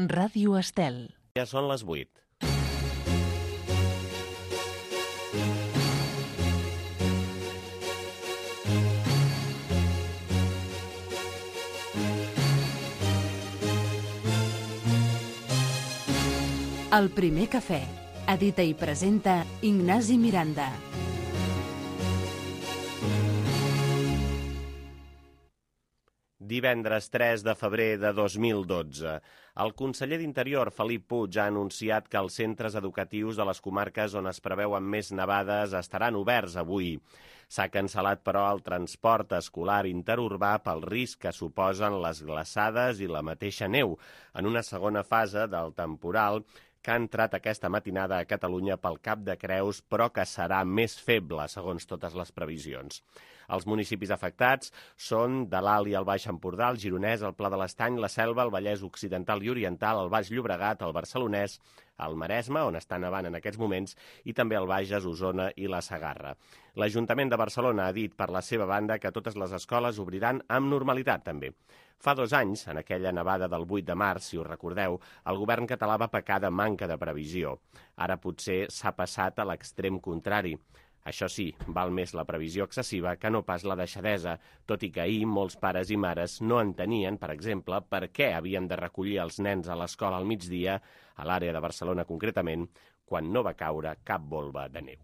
Ràdio Estel. Ja són les 8. El primer cafè. Edita i presenta Ignasi Miranda. Divendres 3 de febrer de 2012. El conseller d'Interior, Felip Puig, ha anunciat que els centres educatius de les comarques on es preveuen més nevades estaran oberts avui. S'ha cancel·lat, però, el transport escolar interurbà pel risc que suposen les glaçades i la mateixa neu, en una segona fase del temporal que ha entrat aquesta matinada a Catalunya pel Cap de Creus, però que serà més feble, segons totes les previsions. Els municipis afectats són de l'Alt i el Baix Empordà, el Gironès, el Pla de l'Estany, la Selva, el Vallès Occidental i Oriental, el Baix Llobregat, el Barcelonès, el Maresme, on està nevant en aquests moments, i també el Bages, Osona i la Segarra. L'Ajuntament de Barcelona ha dit per la seva banda que totes les escoles obriran amb normalitat, també. Fa 2 anys, en aquella nevada del 8 de març, si us recordeu, el govern català va pecar de manca de previsió. Ara potser s'ha passat a l'extrem contrari. Això sí, val més la previsió excessiva que no pas la deixadesa, tot i que ahir molts pares i mares no entenien, per exemple, per què havien de recollir els nens a l'escola al migdia, a l'àrea de Barcelona concretament, quan no va caure cap volva de neu.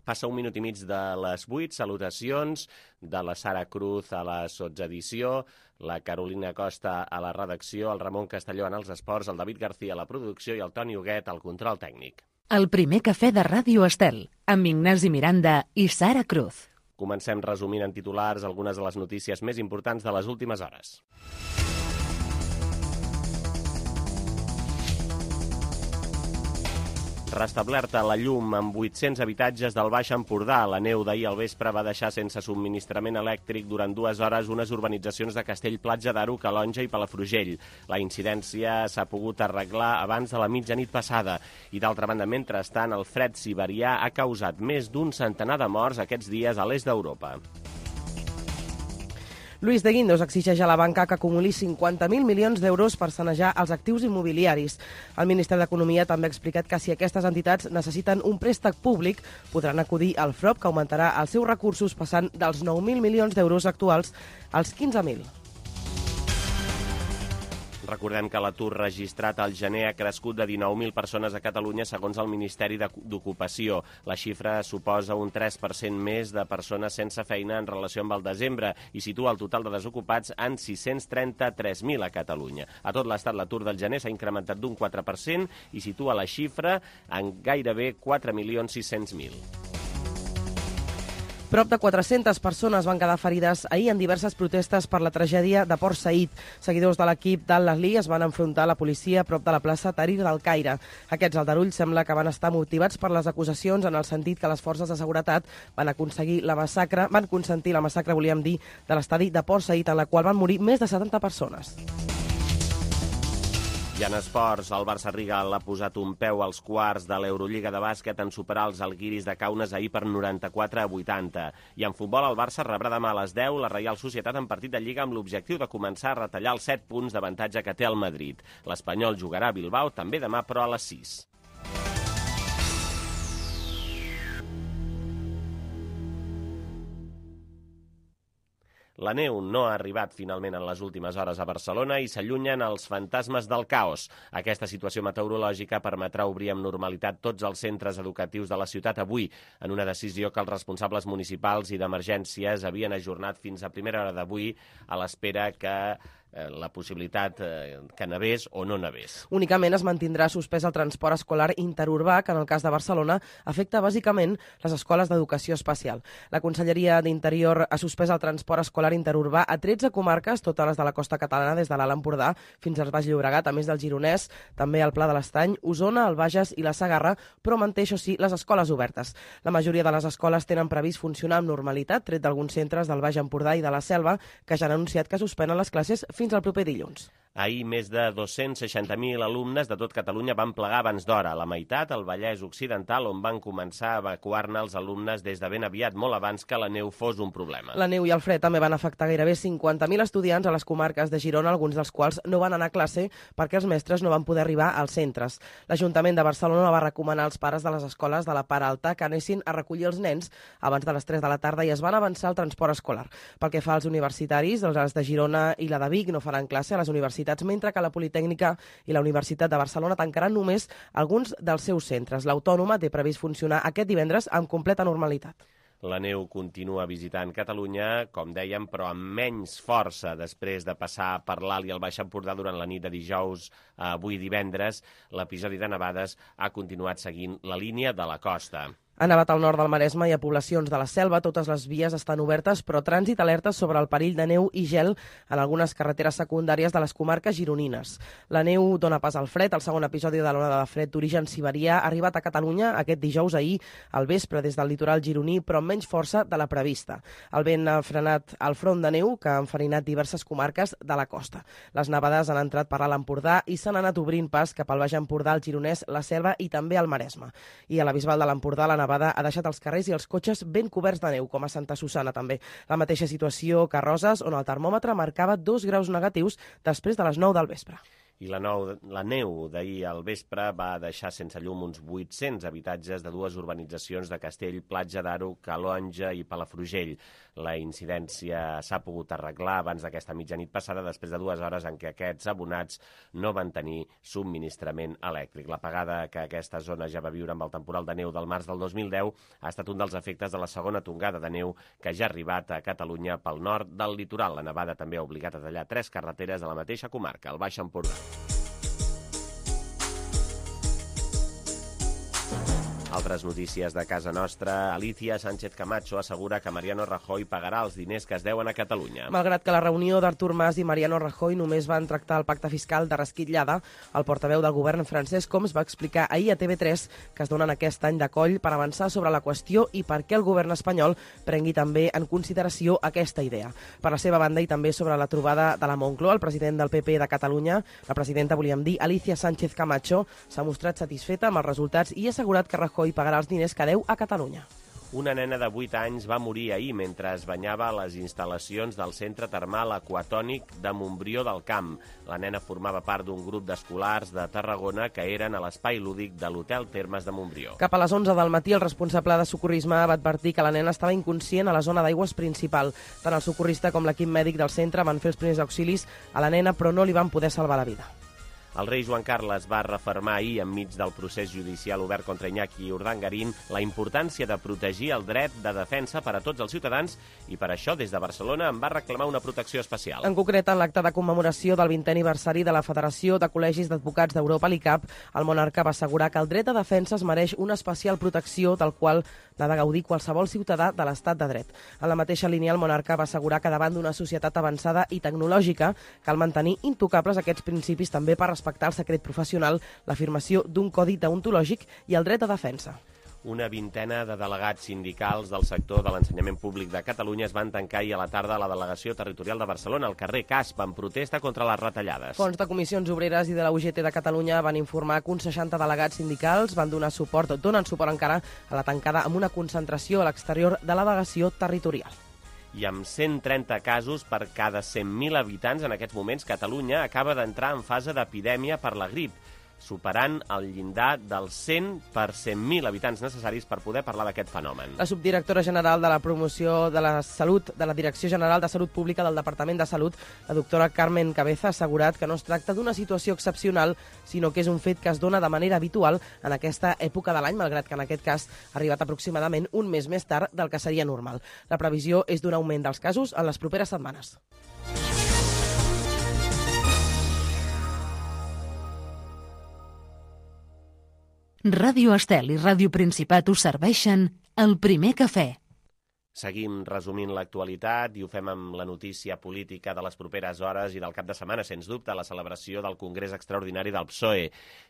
Passa 1 minut i mig de les 8, salutacions de la Sara Cruz a la sotsedició, la Carolina Costa a la redacció, el Ramon Castelló en els esports, el David García a la producció i el Toni Huguet al control tècnic. El primer cafè de Ràdio Estel, amb Ignasi Miranda i Sara Cruz. Comencem resumint en titulars algunes de les notícies més importants de les últimes hores. Restablerta la llum amb 800 habitatges del Baix Empordà. La neu d'ahir al vespre va deixar sense subministrament elèctric durant 2 hores unes urbanitzacions de Castell-Platja d'Aro, Calonja i Palafrugell. La incidència s'ha pogut arreglar abans de la mitjanit passada. I d'altra banda, mentrestant, el fred siberià ha causat més d'un centenar de morts aquests dies a l'est d'Europa. Luis de Guindos exigeix a la banca que acumuli 50.000 milions d'euros per sanejar els actius immobiliaris. El Ministeri d'Economia també ha explicat que si aquestes entitats necessiten un préstec públic, podran acudir al FROB, que augmentarà els seus recursos passant dels 9.000 milions d'euros actuals als 15.000. Recordem que l'atur registrat al gener ha crescut de 19.000 persones a Catalunya, segons el Ministeri d'Ocupació. La xifra suposa un 3% més de persones sense feina en relació amb el desembre i situa el total de desocupats en 633.000 a Catalunya. A tot l'estat, l'atur del gener s'ha incrementat d'un 4% i situa la xifra en gairebé 4.600.000. Prop de 400 persones van quedar ferides ahir en diverses protestes per la tragèdia de Port Said. Seguidors de l'equip d'Al-Ahly es van enfrontar a la policia a prop de la plaça Tahrir del Caire. Aquests aldarulls sembla que van estar motivats per les acusacions en el sentit que les forces de seguretat van consentir la massacre, volíem dir, de l'estadi de Port Said, en la qual van morir més de 70 persones. I en esports, el Barça-Riga l'ha posat un peu als quarts de l'Eurolliga de bàsquet en superar els Alguiris de Kaunas ahir per 94-80. I en futbol, el Barça rebrà demà a les 10 la Reial Societat en partit de Lliga amb l'objectiu de començar a retallar els 7 punts d'avantatge que té el Madrid. L'Espanyol jugarà a Bilbao també demà, però a les 6. La neu no ha arribat finalment en les últimes hores a Barcelona i s'allunyen els fantasmes del caos. Aquesta situació meteorològica permetrà obrir amb normalitat tots els centres educatius de la ciutat avui, en una decisió que els responsables municipals i d'emergències havien ajornat fins a primera hora d'avui a l'espera que la possibilitat que nevés o no nevés. Únicament es mantindrà suspès el transport escolar interurbà, que en el cas de Barcelona afecta bàsicament les escoles d'educació especial. La Conselleria d'Interior ha suspès el transport escolar interurbà a 13 comarques, totes les de la costa catalana, des de l'Alt Empordà fins al Baix Llobregat, a més del Gironès, també el Pla de l'Estany, Osona, el Bages i la Segarra, però manté, això sí, les escoles obertes. La majoria de les escoles tenen previst funcionar amb normalitat, tret d'alguns centres del Baix Empordà i de la Selva, que ja han anunciat que suspenen les classes fins al proper dilluns. Ahir més de 260.000 alumnes de tot Catalunya van plegar abans d'hora. La meitat al Vallès Occidental, on van començar a evacuar-ne els alumnes des de ben aviat, molt abans que la neu fos un problema. La neu i el fred també van afectar gairebé 50.000 estudiants a les comarques de Girona, alguns dels quals no van anar a classe perquè els mestres no van poder arribar als centres. L'Ajuntament de Barcelona va recomanar als pares de les escoles de la part alta que anessin a recollir els nens abans de les 3 de la tarda i es van avançar al transport escolar. Pel que fa als universitaris, els de Girona i la de Vic no faran classe a les universitats, mentre que la Politècnica i la Universitat de Barcelona tancaran només alguns dels seus centres. L'Autònoma té previst funcionar aquest divendres amb completa normalitat. La neu continua visitant Catalunya, com dèiem, però amb menys força després de passar per l'Alt i el Baix Empordà durant la nit de dijous a avui divendres. L'episodi de nevades ha continuat seguint la línia de la costa. Ha nevat al nord del Maresme i a poblacions de la Selva. Totes les vies estan obertes, però trànsit alerta sobre el perill de neu i gel en algunes carreteres secundàries de les comarques gironines. La neu dona pas al fred. El segon episodi de l'onada de fred d'origen siberià ha arribat a Catalunya aquest dijous ahir al vespre des del litoral gironí, però amb menys força de la prevista. El vent ha frenat el front de neu que ha enfarinat diverses comarques de la costa. Les nevades han entrat per l'Alt Empordà i s'han anat obrint pas cap al Baix Empordà, el Gironès, la Selva i també al Maresme. I a la Bisbal de l'Empordà la nevada ha deixat els carrers i els cotxes ben coberts de neu, com a Santa Susanna també. La mateixa situació que a Roses, on el termòmetre marcava 2 graus negatius després de les 9 del vespre. I la neu d'ahir al vespre va deixar sense llum uns 800 habitatges de dues urbanitzacions de Castell, Platja d'Aro, Calonge i Palafrugell. La incidència s'ha pogut arreglar abans d'aquesta mitjanit passada, després de 2 hores en què aquests abonats no van tenir subministrament elèctric. L'apagada que aquesta zona ja va viure amb el temporal de neu del març del 2010 ha estat un dels efectes de la segona tongada de neu que ja ha arribat a Catalunya pel nord del litoral. La nevada també ha obligat a tallar 3 carreteres de la mateixa comarca, el Baix Empordà. Altres notícies de casa nostra. Alicia Sánchez Camacho assegura que Mariano Rajoy pagarà els diners que es deuen a Catalunya. Malgrat que la reunió d'Artur Mas i Mariano Rajoy només van tractar el pacte fiscal de rasquitllada, el portaveu del govern Francesc Homs va explicar ahir a TV3 que es donen aquest any de coll per avançar sobre la qüestió i per què el govern espanyol prengui també en consideració aquesta idea. Per la seva banda i també sobre la trobada de la Moncloa, el president del PP de Catalunya, la presidenta, volíem dir, Alicia Sánchez Camacho, s'ha mostrat satisfeta amb els resultats i ha assegurat que Rajoy pagarà els diners que deu a Catalunya. Una nena de 8 anys va morir ahir mentre es banyava a les instal·lacions del Centre Termal Aquatònic de Montbrió del Camp. La nena formava part d'un grup d'escolars de Tarragona que eren a l'espai lúdic de l'Hotel Termes de Montbrió. Cap a les 11 del matí, el responsable de socorrisme va advertir que la nena estava inconscient a la zona d'aigües principal. Tant el socorrista com l'equip mèdic del centre van fer els primers auxilis a la nena, però no li van poder salvar la vida. El rei Joan Carles va refermar ahir, enmig del procés judicial obert contra Iñaki Urdangarín, la importància de protegir el dret de defensa per a tots els ciutadans i per això, des de Barcelona, en va reclamar una protecció especial. En concret, en l'acte de commemoració del 20è aniversari de la Federació de Col·legis d'Advocats d'Europa, l'ICAP, el monarca va assegurar que el dret de defensa es mereix una especial protecció del qual n'ha de gaudir qualsevol ciutadà de l'estat de dret. En la mateixa línia, el monarca va assegurar que davant d'una societat avançada i tecnològica cal mantenir intocables aquests principis també per respectar el secret professional, l'afirmació d'un codi deontològic i el dret a defensa. Una vintena de delegats sindicals del sector de l'ensenyament públic de Catalunya es van tancar ahir a la tarda a la delegació territorial de Barcelona, al carrer Casp, en protesta contra les retallades. Fons de comissions obreres i de la UGT de Catalunya van informar que uns 60 delegats sindicals van donen suport encara a la tancada amb una concentració a l'exterior de la delegació territorial. I amb 130 casos per cada 100.000 habitants en aquests moments, Catalunya acaba d'entrar en fase d'epidèmia per la grip, superant el llindar dels 100 per 100.000 habitants necessaris per poder parlar d'aquest fenomen. La subdirectora general de la promoció de la salut de la Direcció General de Salut Pública del Departament de Salut, la doctora Carmen Cabeza, ha assegurat que no es tracta d'una situació excepcional, sinó que és un fet que es dona de manera habitual en aquesta època de l'any, malgrat que en aquest cas ha arribat aproximadament un mes més tard del que seria normal. La previsió és d'un augment dels casos en les properes setmanes. Ràdio Estel i Ràdio Principat us serveixen el primer cafè. Seguim resumint l'actualitat i ho fem amb la notícia política de les properes hores i del cap de setmana, sens dubte, la celebració del Congrés Extraordinari del PSOE.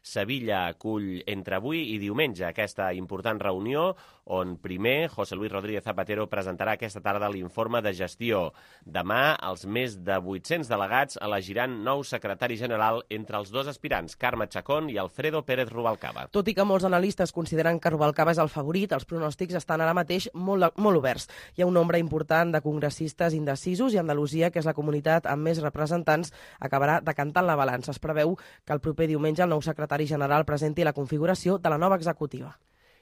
Sevilla acull entre avui i diumenge aquesta important reunió on primer José Luis Rodríguez Zapatero presentarà aquesta tarda l'informe de gestió. Demà, els més de 800 delegats elegiran nou secretari general entre els dos aspirants, Carme Chacón i Alfredo Pérez Rubalcaba. Tot i que molts analistes consideren que Rubalcaba és el favorit, els pronòstics estan ara mateix molt oberts. Hi ha un nombre important de congressistes indecisos i Andalusia, que és la comunitat amb més representants, acabarà decantant la balança. Es preveu que el proper diumenge el nou secretari general presenti la configuració de la nova executiva.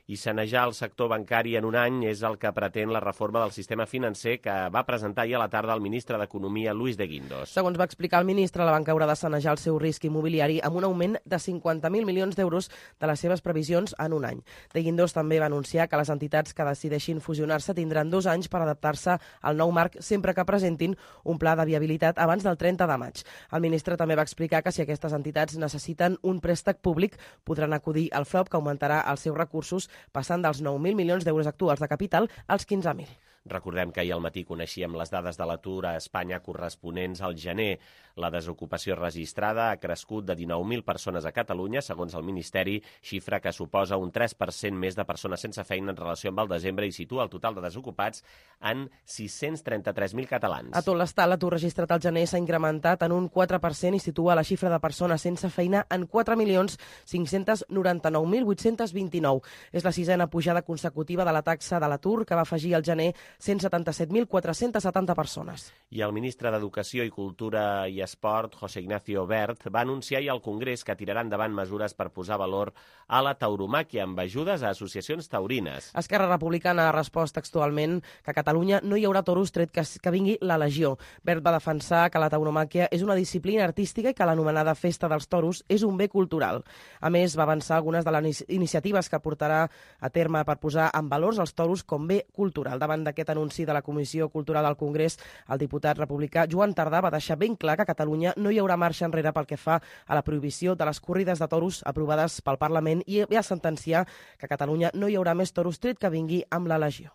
I sanejar el sector bancari en un any és el que pretén la reforma del sistema financer que va presentar ahir a la tarda el ministre d'Economia, Luis de Guindos. Segons va explicar el ministre, la banca haurà de sanejar el seu risc immobiliari amb un augment de 50.000 milions d'euros de les seves previsions en un any. De Guindos també va anunciar que les entitats que decideixin fusionar-se tindran 2 anys per adaptar-se al nou marc sempre que presentin un pla de viabilitat abans del 30 de maig. El ministre també va explicar que si aquestes entitats necessiten un préstec públic, podran acudir al FROB, que augmentarà els seus recursos passant dels 9.000 milions d'euros actuals de capital als 15.000. Recordem que ahir al matí coneixíem les dades de l'atur a Espanya corresponents al gener. La desocupació registrada ha crescut de 19.000 persones a Catalunya, segons el Ministeri, xifra que suposa un 3% més de persones sense feina en relació amb el desembre i situa el total de desocupats en 633.000 catalans. A tot l'estat, l'atur registrat al gener s'ha incrementat en un 4% i situa la xifra de persones sense feina en 4.599.829. És la 6a pujada consecutiva de la taxa de l'atur, que va afegir al gener 177.470 persones. I el ministre d'Educació i Cultura i Esport, José Ignacio Wert, va anunciar ahir al Congrés que tirarà endavant mesures per posar valor a la tauromàquia amb ajudes a associacions taurines. Esquerra Republicana ha respost textualment que a Catalunya no hi haurà toros tret que vingui la Legió. Wert va defensar que la tauromàquia és una disciplina artística i que l'anomenada Festa dels Toros és un bé cultural. A més, va avançar algunes de les iniciatives que portarà a terme per posar en valors els toros com bé cultural. Davant d'aquest anunci de la Comissió Cultural del Congrés, el diputat republicà Joan Tardà va deixar ben clar que a Catalunya no hi haurà marxa enrere pel que fa a la prohibició de les corrides de toros aprovades pel Parlament i va sentenciar que a Catalunya no hi haurà més toros tret que vingui amb la Legió.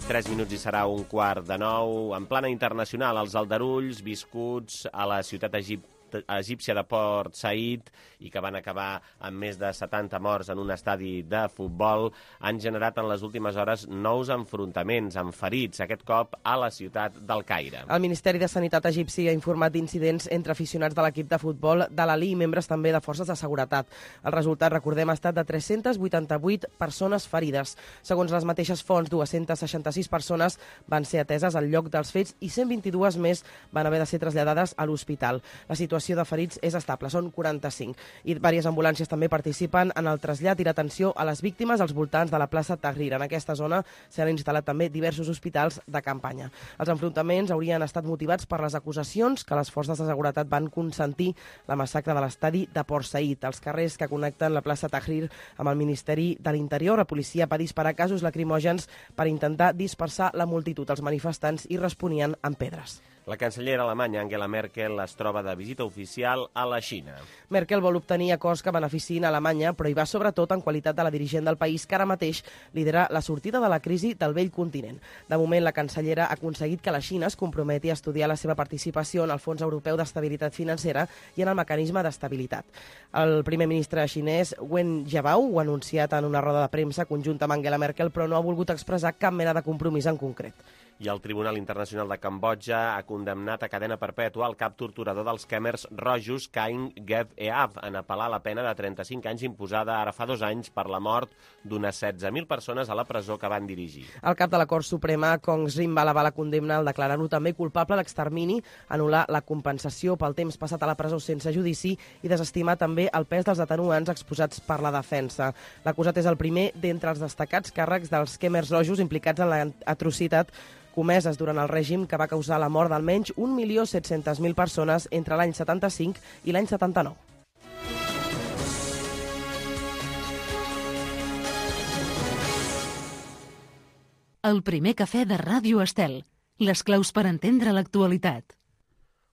Tres minuts i serà 8:45. En plana internacional, els aldarulls viscuts a la ciutat egípcia de Port Said i que van acabar amb més de 70 morts en un estadi de futbol han generat en les últimes hores nous enfrontaments amb ferits, aquest cop a la ciutat del Caire. El Ministeri de Sanitat egipci ha informat d'incidents entre aficionats de l'equip de futbol de l'Ali i membres també de forces de seguretat. El resultat, recordem, ha estat de 388 persones ferides. Segons les mateixes fonts, 266 persones van ser ateses al lloc dels fets i 122 més van haver de ser traslladades a l'hospital. La situació de ferits és estable, són 45. I diverses ambulàncies també participen en el trasllat i l'atenció a les víctimes als voltants de la plaça Tahrir. En aquesta zona s'han instal·lat també diversos hospitals de campanya. Els enfrontaments haurien estat motivats per les acusacions que les forces de seguretat van consentir la massacre de l'estadi de Port Said. Als carrers que connecten la plaça Tahrir amb el Ministeri de l'Interior, la policia va disparar gasos lacrimògens per intentar dispersar la multitud. Els manifestants hi responien amb pedres. La cancellera alemanya Angela Merkel es troba de visita oficial a la Xina. Merkel vol obtenir acords que beneficiïn a Alemanya, però hi va sobretot en qualitat de la dirigent del país que ara mateix lidera la sortida de la crisi del vell continent. De moment, la cancellera ha aconseguit que la Xina es comprometi a estudiar la seva participació en el Fons Europeu d'Estabilitat Financera i en el mecanisme d'estabilitat. El primer ministre xinès, Wen Jiabao, ho ha anunciat en una roda de premsa conjunta amb Angela Merkel, però no ha volgut expressar cap mena de compromís en concret. I el Tribunal Internacional de Cambodja ha condemnat a cadena perpètua el cap torturador dels Khmers rojos, Kaing Gev Eav, en apel·lar la pena de 35 anys imposada ara fa 2 anys per la mort d'unes 16.000 persones a la presó que van dirigir. El cap de la Cort Suprema, Kong Srim, va elevar la condemna al declarar-lo també culpable d'extermini, anul·lar la compensació pel temps passat a la presó sense judici i desestimar també el pes dels atenuants exposats per la defensa. L'acusat és el primer d'entre els destacats càrrecs dels Khmers rojos implicats en l'atrocitat comeses durant el règim que va causar la mort d'almenys 1.700.000 persones entre l'any 75 i l'any 79. El primer cafè de Ràdio Estel. Les claus per entendre l'actualitat.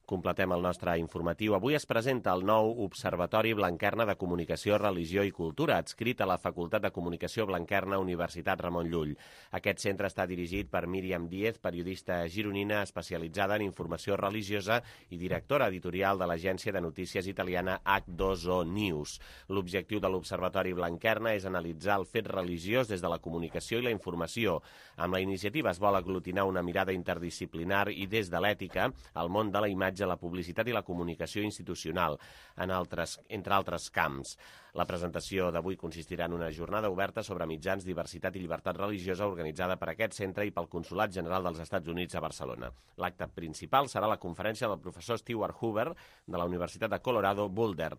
Completem el nostre informatiu. Avui es presenta el nou Observatori Blanquerna de Comunicació, Religió i Cultura, adscrit a la Facultat de Comunicació Blanquerna, Universitat Ramon Llull. Aquest centre està dirigit per Míriam Díez, periodista gironina especialitzada en informació religiosa i directora editorial de l'agència de notícies italiana H2O News. L'objectiu de l'Observatori Blanquerna és analitzar el fet religiós des de la comunicació i la informació. Amb la iniciativa es vol aglutinar una mirada interdisciplinar i des de l'ètica al món de la imatge, la publicitat i la comunicació institucional, entre altres camps. La presentació d'avui consistirà en una jornada oberta sobre mitjans, diversitat i llibertat religiosa organitzada per aquest centre i pel Consolat General dels Estats Units a Barcelona. L'acte principal serà la conferència del professor Stewart Hoover de la Universitat de Colorado Boulder.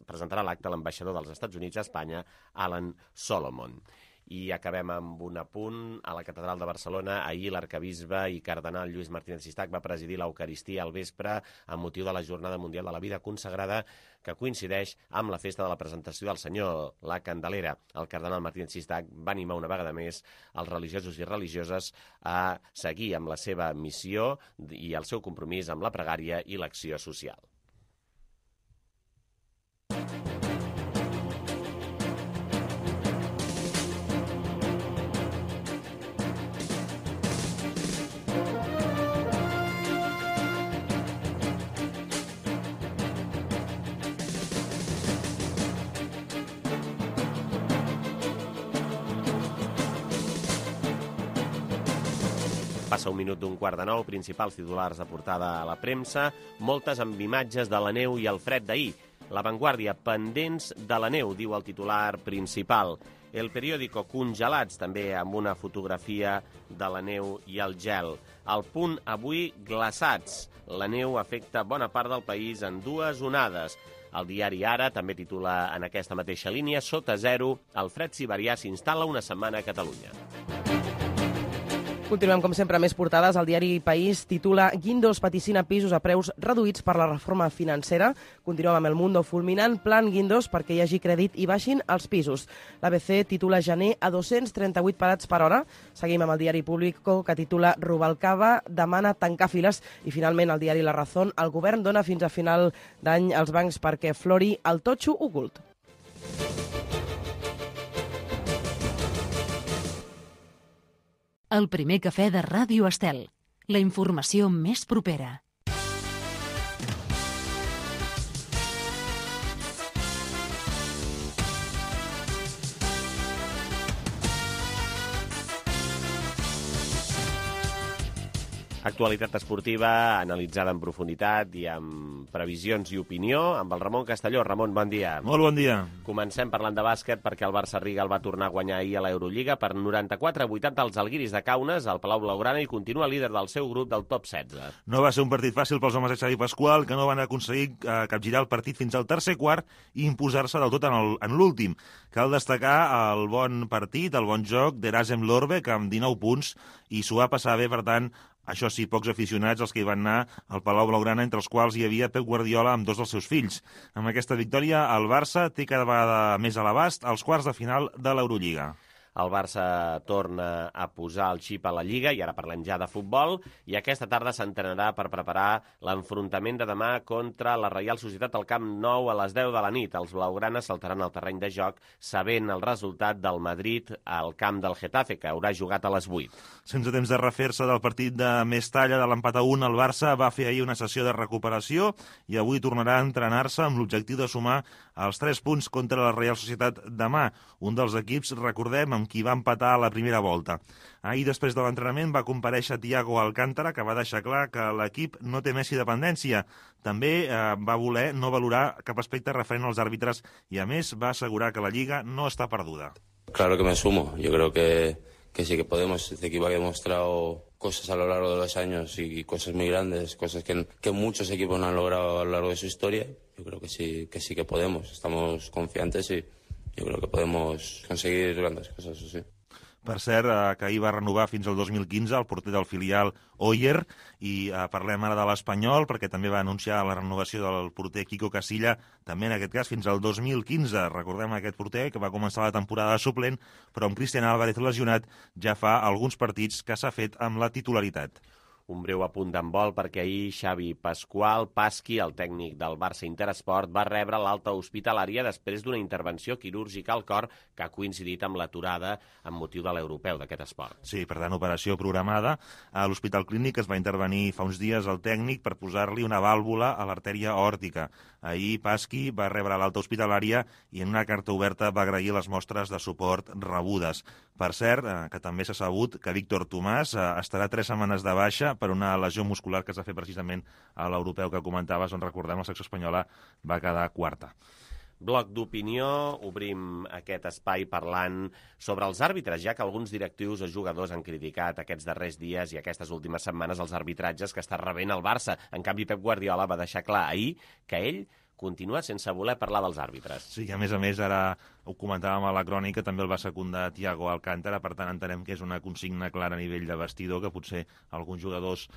Presentarà l'acte l'ambaixador dels Estats Units a Espanya, Alan Solomon. I acabem amb un apunt. A la Catedral de Barcelona, ahir l'arcabisbe i cardenal Lluís Martínez Sistac va presidir l'Eucaristia al vespre amb motiu de la Jornada Mundial de la Vida Consagrada, que coincideix amb la festa de la presentació del Senyor, la Candelera. El cardenal Martínez Sistac va animar una vegada més els religiosos i religioses a seguir amb la seva missió i el seu compromís amb la pregària i l'acció social. Passa un minut d'un quart de nou, principals titulars de portada a la premsa, moltes amb imatges de la neu i el fred d'ahir. La Vanguardia, pendents de la neu, diu el titular principal. El periòdico, congelats, també amb una fotografia de la neu i el gel. El Punt, avui, glaçats. La neu afecta bona part del país en dues onades. El diari Ara també titula en aquesta mateixa línia, sota zero, el fred siberià s'instal·la una setmana a Catalunya. Continuem, com sempre, més portades. El diari País titula Guindos vaticina pisos a preus reduïts per la reforma financera. Continuem amb El Mundo, fulminant plan Guindos perquè hi hagi crèdit i baixin els pisos. L'ABC titula gener a 238 parats per hora. Seguim amb el diari Público, que titula Rubalcaba demana tancar files. I finalment el diari La Razón, el govern dona fins a final d'any als bancs perquè flori el totxo ocult. El primer cafè de Ràdio Estel. La informació més propera. Actualitat esportiva analitzada en profunditat i amb previsions i opinió amb el Ramon Castelló. Ramon, bon dia. Molt bon dia. Comencem parlant de bàsquet perquè el Barça Riga el va tornar a guanyar ahir a l'Eurolliga per 94-80 als Alguiris de Kaunas, al Palau Blaugrana, i continua líder del seu grup del top 16. No va ser un partit fàcil pels homes de Xavi Pasqual, que no van aconseguir capgirar el partit fins al tercer quart i imposar-se del tot en l'últim. Cal destacar el bon partit, el bon joc d'Erasem Lorbeck amb 19 punts, i s'ho va passar bé, per tant, això sí, pocs aficionats els que hi van anar al Palau Blaugrana, entre els quals hi havia Pep Guardiola amb dos dels seus fills. Amb aquesta victòria, el Barça té cada vegada més a l'abast als quarts de final de l'Eurolliga. El Barça torna a posar el xip a la Lliga, i ara parlem ja de futbol, i aquesta tarda s'entrenarà per preparar l'enfrontament de demà contra la Reial Societat al Camp Nou a les 10 de la nit. Els blaugranes saltaran al terreny de joc sabent el resultat del Madrid al camp del Getafe, que haurà jugat a les 8. Sense temps de refer-se del partit de més talla de l'empat a 1, el Barça va fer ahir una sessió de recuperació i avui tornarà a entrenar-se amb l'objectiu de sumar els 3 punts contra la Reial Societat demà, un dels equips, recordem, amb qui va empatar a la primera volta. Ahir, després de l'entrenament, va comparèixer Thiago Alcántara, que va deixar clar que l'equip no té Messi dependència. També va voler no valorar cap aspecte referent als àrbitres i, a més, va assegurar que la Lliga no està perduda. Claro que me sumo. Yo creo que sí que podemos. Este equipo ha demostrado cosas a lo largo de los años y cosas muy grandes, cosas que muchos equipos no han logrado a lo largo de su historia. Yo creo que sí que podemos. Estamos confiantes y yo creo que podemos conseguir grandes cosas, eso sí. Per cert, que ahir va renovar fins al 2015 el porter del filial Oyer, i parlem ara de l'Espanyol, perquè també va anunciar la renovació del porter Quico Casilla, també en aquest cas fins al 2015. Recordem aquest porter que va començar la temporada de suplent, però amb Cristian Álvarez lesionat ja fa alguns partits que s'ha fet amb la titularitat. Un breu apunt d'handbol perquè ahir Xavi Pasqui, el tècnic del Barça Interesport, va rebre l'alta hospitalària després d'una intervenció quirúrgica al cor que ha coincidit amb l'aturada amb motiu de l'europeu d'aquest esport. Sí, per tant, operació programada. A l'Hospital Clínic es va intervenir fa uns dies el tècnic per posar-li una vàlvula a l'artèria aòrtica. Ahir Pasqui va rebre l'alta hospitalària i en una carta oberta va agrair les mostres de suport rebudes. Per cert, que també s'ha sabut que Víctor Tomàs estarà 3 setmanes de baixa per una lesió muscular que s'ha fet precisament a l'europeu que comentaves, on recordem la secció espanyola va quedar quarta. Bloc d'opinió, obrim aquest espai parlant sobre els àrbitres, ja que alguns directius o jugadors han criticat aquests darrers dies i aquestes últimes setmanes els arbitratges que està rebent el Barça. En canvi, Pep Guardiola va deixar clar ahir que ell continua sense voler parlar dels àrbitres. Sí, a més, ara ho comentàvem a la crònica, també el va secundar Thiago Alcántara, per tant entenem que és una consigna clara a nivell de vestidor, que potser alguns jugadors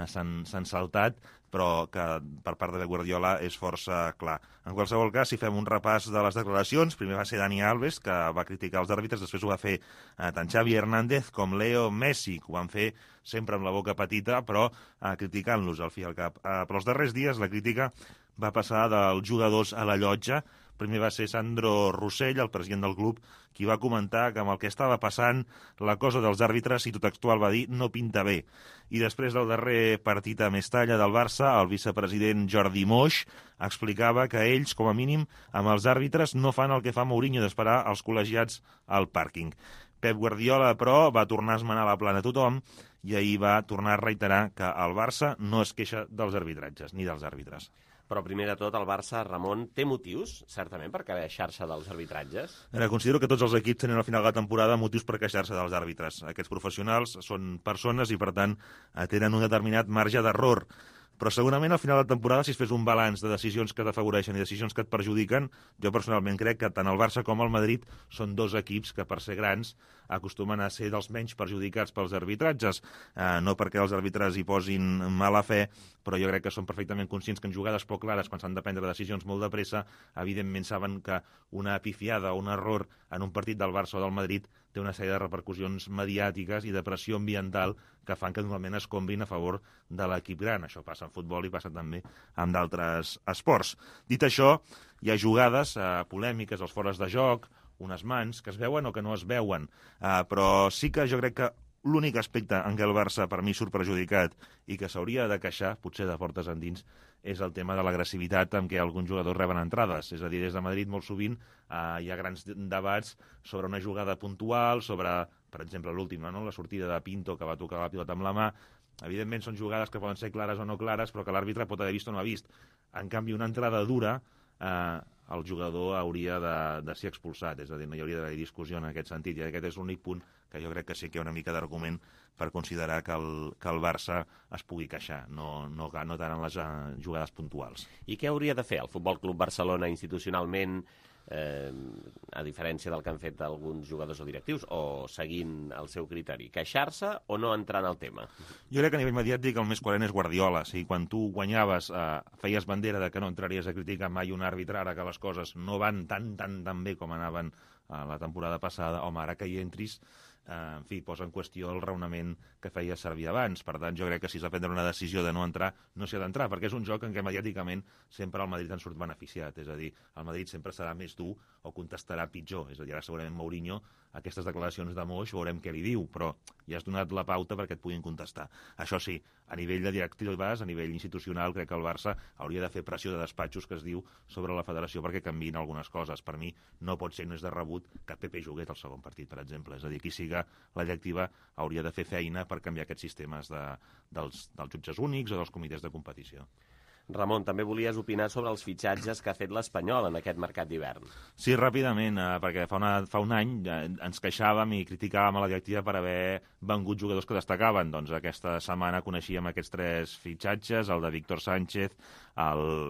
s'han saltat, però que per part de Guardiola és força clar. En qualsevol cas, si fem un repàs de les declaracions, primer va ser Dani Alves, que va criticar els àrbitres, després ho va fer tant Xavi Hernández com Leo Messi, que ho van fer sempre amb la boca petita, però criticant-los al fi i al cap. Però els darrers dies la crítica va passar dels jugadors a la llotja. Primer va ser Sandro Rossell, el president del club, qui va comentar que amb el que estava passant la cosa dels àrbitres, i tot textual va dir, no pinta bé. I després del darrer partit a Mestalla del Barça, el vicepresident Jordi Moix explicava que ells, com a mínim, amb els àrbitres no fan el que fa Mourinho d'esperar els col·legiats al pàrquing. Pep Guardiola, però, va tornar a esmenar la plana a tothom i ahir va tornar a reiterar que el Barça no es queixa dels arbitratges, ni dels àrbitres. Però primer de tot, el Barça, Ramon, té motius, certament, per queixar-se dels arbitratges? Considero que tots els equips tenen al final de la temporada motius per queixar-se dels àrbitres. Aquests professionals són persones i, per tant, tenen un determinat marge d'error. Però segurament al final de la temporada, si es fes un balanç de decisions que t'afavoreixen i decisions que et perjudiquen, jo personalment crec que tant el Barça com el Madrid són dos equips que, per ser grans, acostumen a ser dels menys perjudicats pels arbitratges. No perquè els àrbitres hi posin mala fe, però jo crec que són perfectament conscients que en jugades poc clares, quan s'han de prendre decisions molt de pressa, evidentment saben que una pifiada o un error en un partit del Barça o del Madrid té una sèrie de repercussions mediàtiques i de pressió ambiental que fan que normalment es combrin a favor de l'equip gran. Això passa en futbol i passa també en d'altres esports. Dit això, hi ha jugades polèmiques, els fores de joc, unes mans que es veuen o que no es veuen, però sí que jo crec que l'únic aspecte en què el Barça per mi surt perjudicat i que s'hauria de queixar, potser de portes endins, és el tema de l'agressivitat amb què alguns jugadors reben entrades. És a dir, des de Madrid molt sovint hi ha grans debats sobre una jugada puntual, sobre, per exemple, l'última, no? La sortida de Pinto que va tocar la pilota amb la mà. Evidentment són jugades que poden ser clares o no clares, però que l'àrbitre pot haver vist o no ha vist. En canvi, una entrada dura, el jugador hauria de ser expulsat, és a dir, no hi hauria d'haver discussió en aquest sentit, i aquest és l'únic punt que jo crec que sí que hi ha una mica d'argument per considerar que el Barça es pugui queixar, no tant en les jugades puntuals. I què hauria de fer el Futbol Club Barcelona institucionalment, a diferència del que han fet alguns jugadors o directius, o seguint el seu criteri? Queixar-se o no entrar en el tema? Jo crec que a nivell mediàtic el més coherent és Guardiola. O sigui, quan tu guanyaves, feies bandera de que no entraries a criticar mai un àrbitre, ara que les coses no van tan bé com anaven la temporada passada, home, ara que hi entris, en fi, posa en qüestió el raonament que feia servir abans. Per tant, jo crec que si s'ha de prendre una decisió de no entrar, no s'hi ha d'entrar, perquè és un joc en què mediàticament sempre el Madrid en surt beneficiat. És a dir, el Madrid sempre serà més dur o contestarà pitjor. És a dir, ara segurament Mourinho, aquestes declaracions de Moix, veurem què li diu, però ja has donat la pauta perquè et puguin contestar. Això sí, a nivell de directives, a nivell institucional, crec que el Barça hauria de fer pressió de despatxos, que es diu, sobre la federació perquè canviïn algunes coses. Per mi no pot ser més de rebut que Pepe jugués el segon partit, per exemple. És a dir, qui siga la directiva hauria de fer feina per canviar aquests sistemes dels jutges únics o dels comitès de competició. Ramon, també volies opinar sobre els fitxatges que ha fet l'Espanyol en aquest mercat d'hivern. Sí, ràpidament, perquè fa un any ens queixàvem i criticàvem a la directiva per haver vengut jugadors que destacaven. Doncs aquesta setmana coneixíem aquests 3 fitxatges, el de Víctor Sánchez,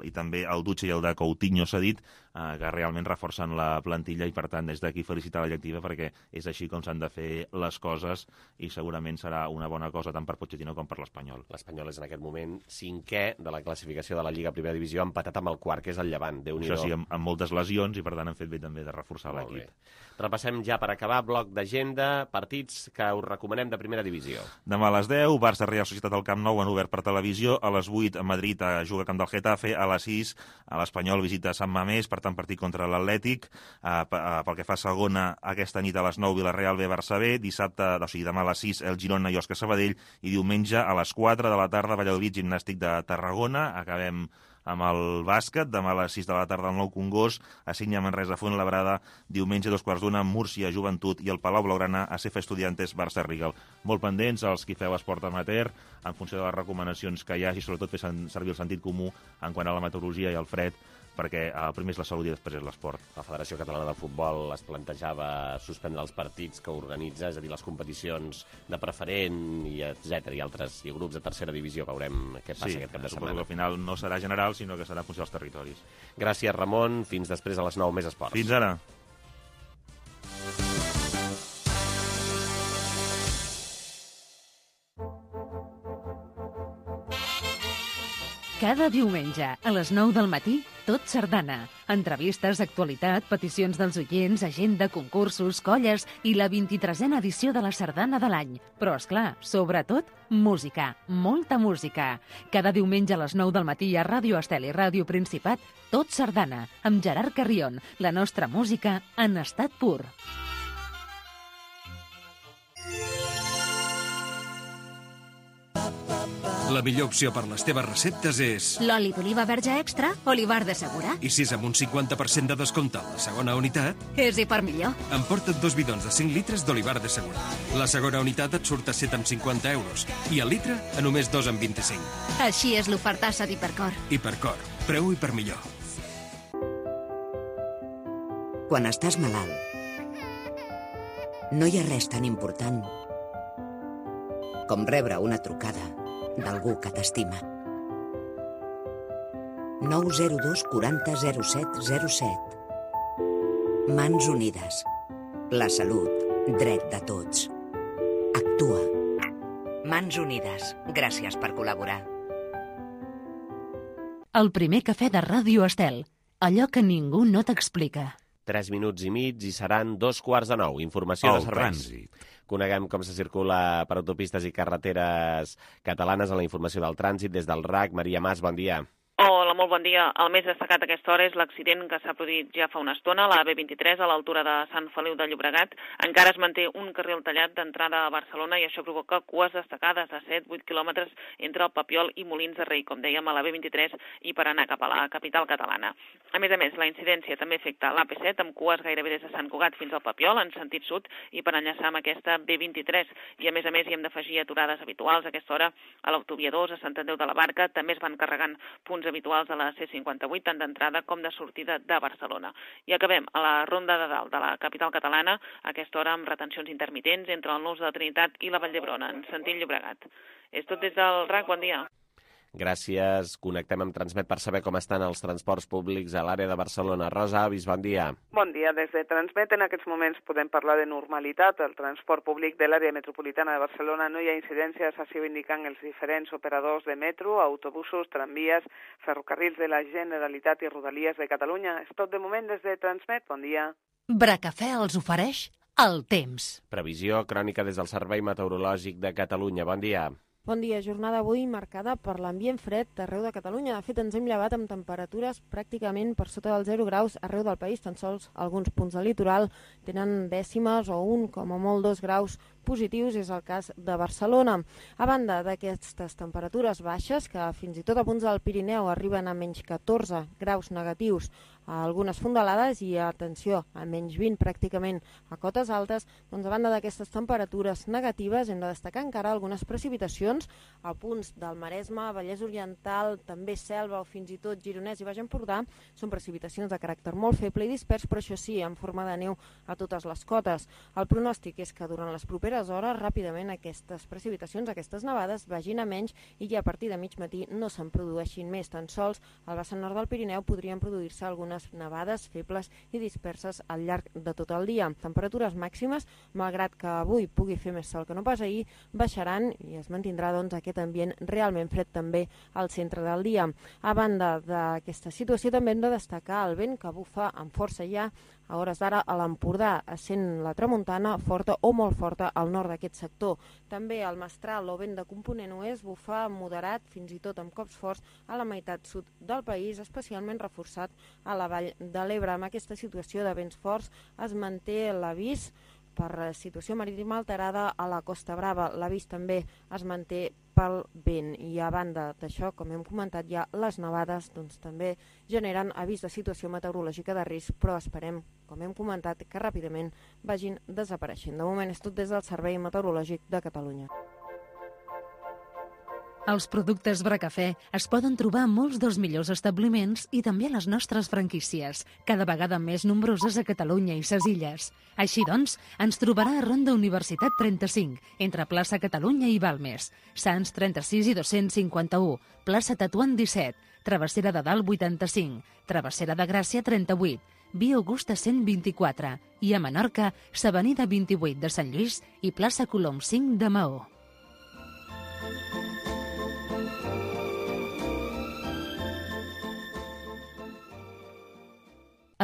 i també el Dutxe i el de Coutinho cedit, que realment reforcen la plantilla i, per tant, des d'aquí felicitar la directiva perquè és així com s'han de fer les coses i segurament serà una bona cosa tant per Pochettino com per l'Espanyol. L'Espanyol és en aquest moment 5è de la classificació de la Lliga Primera Divisió, empatat amb el quart, que és el Llevant. Déu-n'hi-do. Això sí, amb moltes lesions i, per tant, han fet bé també de reforçar l'equip. Repassem ja per acabar, bloc d'agenda, partits que us recomanem de Primera Divisió. Demà a les 10, Barça Real Societat al Camp Nou, han obert per televisió. A les 8, a Madrid, juga a Camp del Getafe. A les 6, a l'Espanyol visita Sant Mamés, per tant, partit contra l'Atlètic. Pel que fa a segona, aquesta nit a les 9, Villarreal B, Barça B. Dissabte, o sigui, demà a les 6, el Girona i Òscar Sabadell. I diumenge, a les 4 de la tarda, Valladolid, Gimnàstic de Tarragona. Acabem amb el bàsquet, demà a les 6 de la tarda al Nou Congost, a Sínia Manresa Fuenlabrada, diumenge 2:15, Múrcia Joventut i el Palau Blaugrana, a CF Estudiantes Barça Rigal. Molt pendents els qui feu esport amateur, en funció de les recomanacions que hi hagi, sobretot fer servir el sentit comú en quant a la meteorologia i el fred, perquè el primer és la salut i després és l'esport. La Federació Catalana de Futbol es plantejava suspendre els partits que organitza, és a dir, les competicions de preferent, i etc. i altres i grups de tercera divisió. Veurem què passa aquest cap de setmana. Suposo que al final no serà general, sinó que serà en funció dels territoris. Gràcies, Ramon. Fins després a les 9, més esports. Fins ara. Cada diumenge, a les 9 del matí, Tot Sardana. Entrevistes, actualitat, peticions dels oients, agenda, concursos, colles i la 23a edició de la Sardana de l'any. Però, és clar, sobretot, música. Molta música. Cada diumenge a les 9 del matí a Ràdio Estel i Ràdio Principat, Tot Sardana, amb Gerard Carrion. La nostra música en estat pur. La millor opció per les teves receptes és... L'oli d'oliva verge extra, Olivar de Segura. I si és amb un 50% de descompte a la segona unitat... És i per millor. Emporta't 2 bidons de 5 litres d'Olivar de Segura. La segona unitat et surt a 7,50 euros i el litre a només 2,25. Així és l'ofertassa d'Hipercor. Hipercor. Preu i per millor. Quan estàs malalt, no hi ha res tan important com rebre una trucada d'algú que t'estima. 902 40 07 07. Mans Unides. La salut, dret de tots. Actua. Mans Unides. Gràcies per col·laborar. El primer cafè de Ràdio Estel. Allò que ningú no t'explica. 3 minuts i mig i seran 2:15. Informació de serveis. Trànsit. Coneguem com se circula per autopistes i carreteres catalanes en la informació del trànsit des del RAC. Maria Mas, bon dia. Hola, molt bon dia. El més destacat a aquesta hora és l'accident que s'ha produït ja fa una estona a la B23 a l'altura de Sant Feliu de Llobregat. Encara es manté un carril tallat d'entrada a Barcelona i això provoca cues destacades de 7-8 quilòmetres entre el Papiol i Molins de Rei, com dèiem, a la B23 i per anar cap a la capital catalana. A més, la incidència també afecta l'AP7 amb cues gairebé des de Sant Cugat fins al Papiol en sentit sud i per enllaçar amb aquesta B23. I a més hi hem d'afegir aturades habituals a aquesta hora a l'autovia 2, a Sant Andreu de la Barca. També es van carregant punts habituals a la C58, tant d'entrada com de sortida de Barcelona. I acabem a la Ronda de Dalt de la capital catalana, a aquesta hora amb retencions intermitents entre el Nus de la Trinitat i la Vall d'Hebron, en sentit Llobregat. És tot des del RAC, bon dia. Gràcies. Connectem amb Transmet per saber com estan els transports públics a l'àrea de Barcelona. Rosa Avis, bon dia. Bon dia. Des de Transmet en aquests moments podem parlar de normalitat. El transport públic de l'àrea metropolitana de Barcelona no hi ha incidències, així ho indiquen els diferents operadors de metro, autobusos, tramvies, ferrocarrils de la Generalitat i Rodalies de Catalunya. És tot de moment des de Transmet. Bon dia. Bracafè els ofereix el temps. Previsió crònica des del Servei Meteorològic de Catalunya. Bon dia. Bon dia, jornada avui marcada per l'ambient fred arreu de Catalunya. De fet, ens hem llevat amb temperatures pràcticament per sota dels 0 graus arreu del país. Tan sols alguns punts del litoral tenen dècimes o 1, com a molt 2 graus positius, és el cas de Barcelona. A banda d'aquestes temperatures baixes, que fins i tot a punts del Pirineu arriben a menys 14 graus negatius algunes fondalades i, atenció, a menys 20 pràcticament a cotes altes. Doncs a banda d'aquestes temperatures negatives hem de destacar encara algunes precipitacions a punts del Maresme, Vallès Oriental, també Selva o fins i tot Gironès i Baix Empordà. Són precipitacions de caràcter molt feble i dispers, però això sí, en forma de neu a totes les cotes. El pronòstic és que durant les properes hores ràpidament aquestes precipitacions, aquestes nevades, vagin a menys i ja a partir de mig matí no se'n produeixin més. Tan sols al vessant nord del Pirineu podrien produir-se algunes nevades febles i disperses al llarg de tot el dia. Temperatures màximes, malgrat que avui pugui fer més sol que no pas ahir, baixaran i es mantindrà aquest ambient realment fred també al centre del dia. A banda d'aquesta situació també hem de destacar el vent que bufa amb força ja a hores d'ara a l'Empordà, essent la tramuntana forta o molt forta al nord d'aquest sector. També el mestral o vent de component oest bufa moderat, fins i tot amb cops forts, a la meitat sud del país, especialment reforçat a la vall de l'Ebre. Amb aquesta situació de vents forts es manté l'avís per situació marítima alterada a la Costa Brava. L'avís també es manté pel vent i a banda d'això, com hem comentat ja, les nevades també generen avís de situació meteorològica de risc, però esperem, com hem comentat, que ràpidament vagin desapareixent. De moment és tot des del Servei Meteorològic de Catalunya. Els productes Bracafè es poden trobar a molts dels millors establiments i també a les nostres franquícies, cada vegada més nombroses a Catalunya i ses illes. Així doncs, ens trobarà a Ronda Universitat 35, entre plaça Catalunya i Balmes, Sants 36 i 251, plaça Tatuant 17, Travessera de Dalt 85, Travessera de Gràcia 38, Via Augusta 124 i a Menorca, s'Avenida 28 de Sant Lluís i plaça Colom 5 de Maó.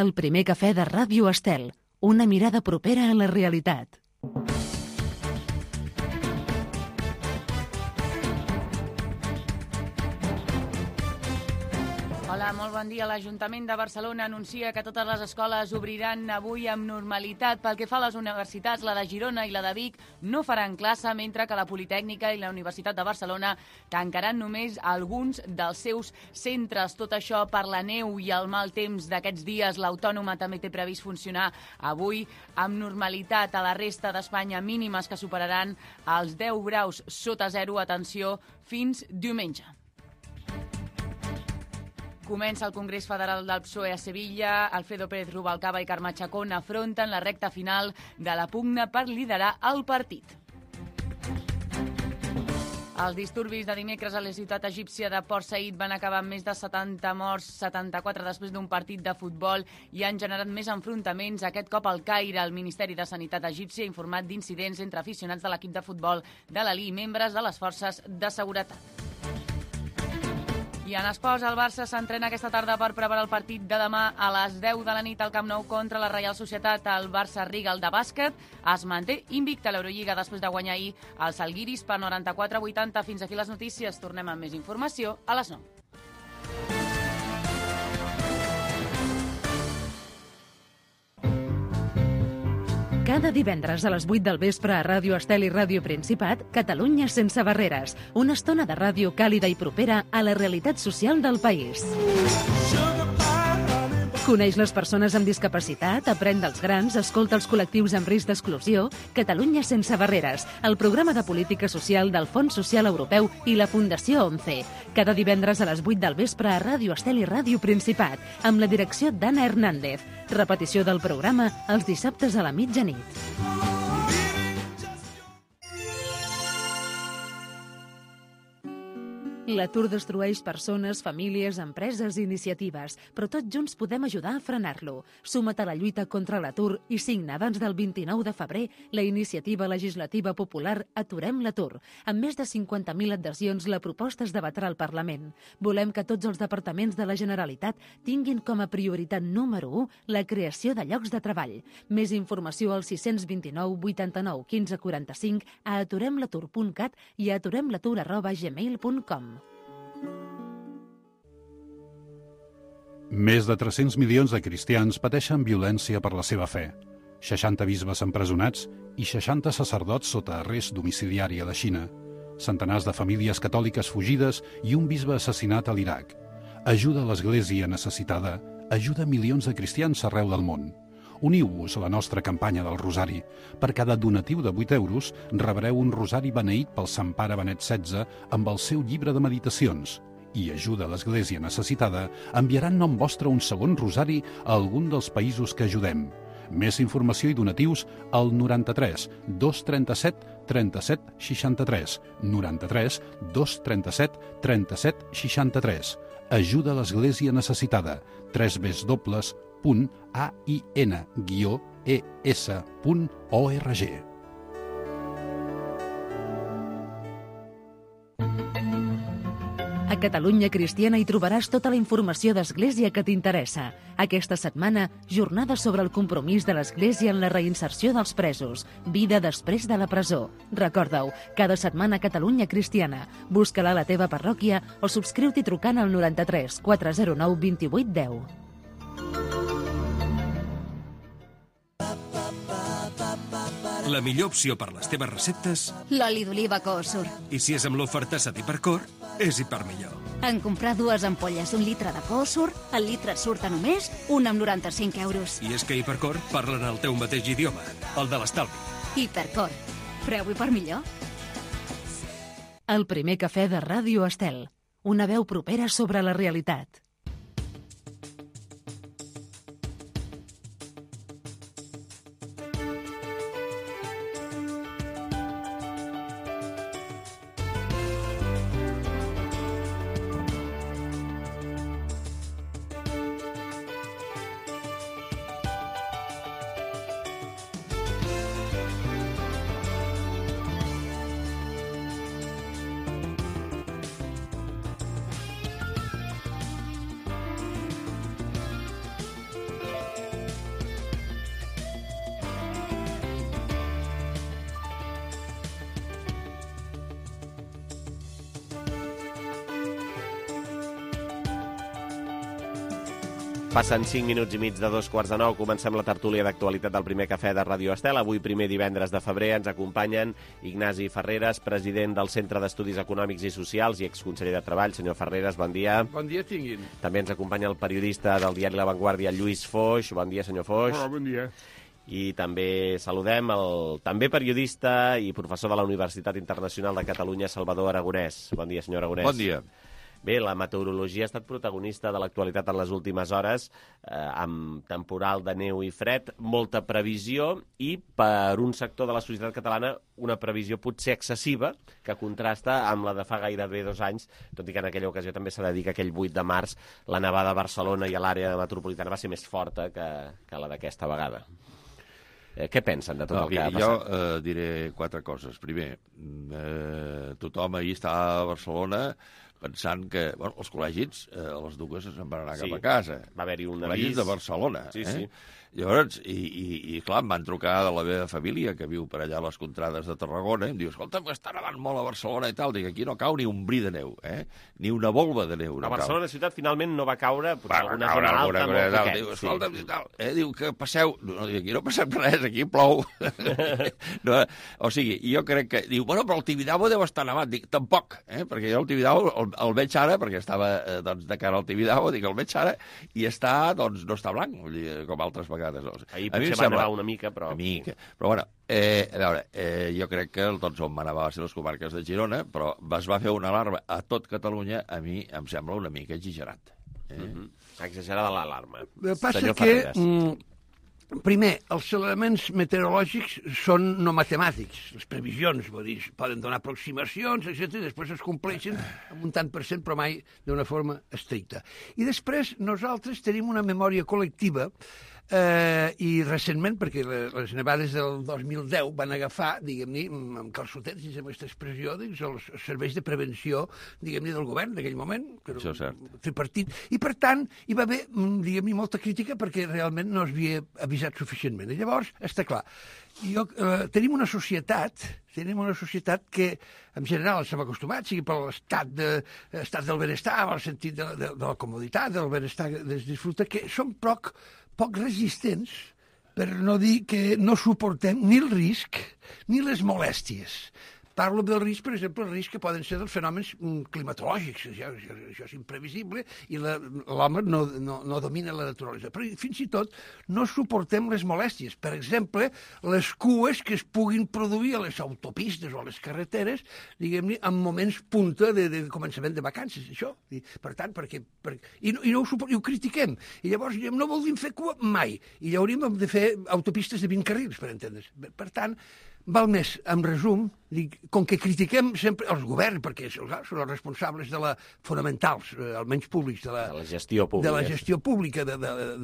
El primer cafè de Ràdio Estel, una mirada propera a la realitat. Hola, molt bon dia. L'Ajuntament de Barcelona anuncia que totes les escoles obriran avui amb normalitat. Pel que fa a les universitats, la de Girona i la de Vic no faran classe, mentre que la Politècnica i la Universitat de Barcelona tancaran només alguns dels seus centres. Tot això per la neu i el mal temps d'aquests dies. L'Autònoma també té previst funcionar avui amb normalitat. A la resta d'Espanya, mínimes que superaran els 10 graus sota zero, atenció, fins diumenge. Comença el Congrés Federal del PSOE a Sevilla. Alfredo Pérez Rubalcaba i Carme Chacón afronten la recta final de la pugna per liderar el partit. Els disturbis de dimecres a la ciutat egípcia de Port Said van acabar amb més de 70 morts, 74 després d'un partit de futbol, i han generat més enfrontaments, aquest cop al Caire. El Ministeri de Sanitat egipci ha informat d'incidents entre aficionats de l'equip de futbol de l'Ali i membres de les forces de seguretat. I en esports, el Barça s'entrena aquesta tarda per preparar el partit de demà a les 10 de la nit al Camp Nou contra la Reial Societat. El Barça Rigal de bàsquet es manté invicte a l'Eurolliga després de guanyar ahir els Žalgiris per 94-80. Fins aquí les notícies. Tornem amb més informació a les 9. Cada divendres a les 8 del vespre a Ràdio Estel i Ràdio Principat, Catalunya sense barreres. Una estona de ràdio càlida i propera a la realitat social del país. Coneix les persones amb discapacitat, aprèn dels grans, escolta els col·lectius amb risc d'exclusió. Catalunya sense barreres, el programa de política social del Fons Social Europeu i la Fundació 11. Cada divendres a les 8 del vespre a Ràdio Estel i Ràdio Principat, amb la direcció d'Anna Hernández. Repetició del programa els dissabtes a la mitjanit. L'atur destrueix persones, famílies, empreses i iniciatives, però tots junts podem ajudar a frenar-lo. Suma't a la lluita contra l'atur i signa abans del 29 de febrer la iniciativa legislativa popular Aturem l'atur. Amb més de 50.000 adhesions, la proposta es debatrà al Parlament. Volem que tots els departaments de la Generalitat tinguin com a prioritat número 1 la creació de llocs de treball. Més informació al 629 89 15 45, a aturemlatur.cat i a aturemlatur@gmail.com. Més de 300 milions de cristians pateixen violència per la seva fe. 60 bisbes empresonats i 60 sacerdots sota arrest domiciliari a la Xina. Centenars de famílies catòliques fugides i un bisbe assassinat a l'Iraq. Ajuda a l'Església necessitada ajuda milions de cristians arreu del món. Uniu-vos a la nostra campanya del Rosari. Per cada donatiu de 8 euros rebreu un rosari beneït pel Sant Pare Benet XVI amb el seu llibre de meditacions. I ajuda a l'Església necessitada enviarà en nom vostre un segon rosari a algun dels països que ajudem. Més informació i donatius al 93 237 37 63. 93 237 37 63. Ajuda a l'Església necessitada. www.ain-es.org. A Catalunya Cristiana hi trobaràs tota la informació d'Església que t'interessa. Aquesta setmana, jornada sobre el compromís de l'Església en la reinserció dels presos. Vida després de la presó. Recorda-ho, cada setmana a Catalunya Cristiana. Busca-la a la teva parròquia o subscriu-t'hi trucant al 93 409 28 10. La millor opció per les teves receptes... L'oli d'oliva Coosur. I si és amb l'oferta d'Hipercor, és Hipermillor. En comprar 2 ampolles d'un litre de Coosur, el litre et surt a només 1 amb 95 euros. I és que Hipercor parlen el teu mateix idioma, el de l'estalvi. Hipercor. Preu Hipermillor. El primer cafè de Ràdio Estel. Una veu propera sobre la realitat. Passen 5 minuts i mig de 8:45. Comencem la tertúlia d'actualitat del primer cafè de Ràdio Estel. Avui, primer divendres de febrer, ens acompanyen Ignasi Ferreres, president del Centre d'Estudis Econòmics i Socials i exconseller de Treball. Senyor Ferreres, bon dia. Bon dia, tinguin. També ens acompanya el periodista del diari La Vanguardia, Lluís Foix. Bon dia, senyor Foix. Hola, bon dia. I també saludem el també periodista i professor de la Universitat Internacional de Catalunya, Salvador Aragonès. Bon dia, senyor Aragonès. Bon dia. Bé, la meteorologia ha estat protagonista de l'actualitat en les últimes hores, amb temporal de neu i fred, molta previsió i, per un sector de la societat catalana, una previsió potser excessiva, que contrasta amb la de fa gairebé 2 anys, tot i que en aquella ocasió també s'ha de dir que aquell 8 de març la nevada a Barcelona i a l'àrea metropolitana va ser més forta que la d'aquesta vegada. Què pensen de tot el que ha passat? Jo diré 4 coses. Primer, tothom ahir estava a Barcelona pensant que els col·legis, a les dues se'n van anar cap a casa. Va haver-hi un avís. Col·legis de Barcelona. Sí. Llavors, i clar, em van trucar de la meva família, que viu per allà a les contrades de Tarragona, i em diu, escolta, està nevant molt a Barcelona i tal. Dic, aquí no cau ni un bri de neu, ni una volva de neu. A Barcelona ciutat finalment no va caure, potser alguna zona alta, molt poquet. Diu, escolta, i tal. Diu que passeu... No, aquí no passem res, aquí plou. No, o sigui, jo crec que... Diu, bueno, però el Tibidabo deu estar nevat. Dic, tampoc, perquè jo el Tibidabo el veig ara, perquè estava de cara al Tibidabo, dic, el veig ara, i està, doncs, no està blanc, com altres vegades. Ahir potser va nevar una mica, però... Però bueno, a veure, jo crec que tot on va nevar va ser les comarques de Girona, però es va fer una alarma a tot Catalunya, a mi em sembla una mica exagerat. Exagerada l'alarma. El que passa que... Primer, els elements meteorològics són no matemàtics, les previsions, vull dir, poden donar aproximacions, etc. I després es compleixen amb un tant per cent, però mai d'una forma estricta. I després nosaltres tenim una memòria col·lectiva i recentment, perquè les nevades del 2010 van agafar, diguem-ne, amb calçotets, si amb aquesta expressió, els serveis de prevenció, diguem-ne, del govern d'aquell moment, que era un tripartit, i per tant hi va haver, diguem-ne, molta crítica perquè realment no es havia avisat suficientment. I llavors, està clar, tenim una societat que en general estem acostumats, sigui per l'estat del benestar, en el sentit de la comoditat, del benestar que es disfruta, que som poc resistents, per no dir que no suportem ni el risc ni les molèsties. parlo del risc, per exemple, el risc que poden ser dels fenòmens climatològics. Això és imprevisible i l'home no domina la naturalesa. Però fins i tot no suportem les molèsties. Per exemple, les cues que es puguin produir a les autopistes o a les carreteres, diguem-ne, en moments punta de començament de vacances, això. Per tant, i ho critiquem. I llavors no voldríem fer cua mai. I hauríem de fer autopistes de 20 carrils, per entendre's. Per tant, val més, en resum, com que critiquem sempre els governs, perquè són els responsables fonamentals, almenys públics, de la gestió pública, de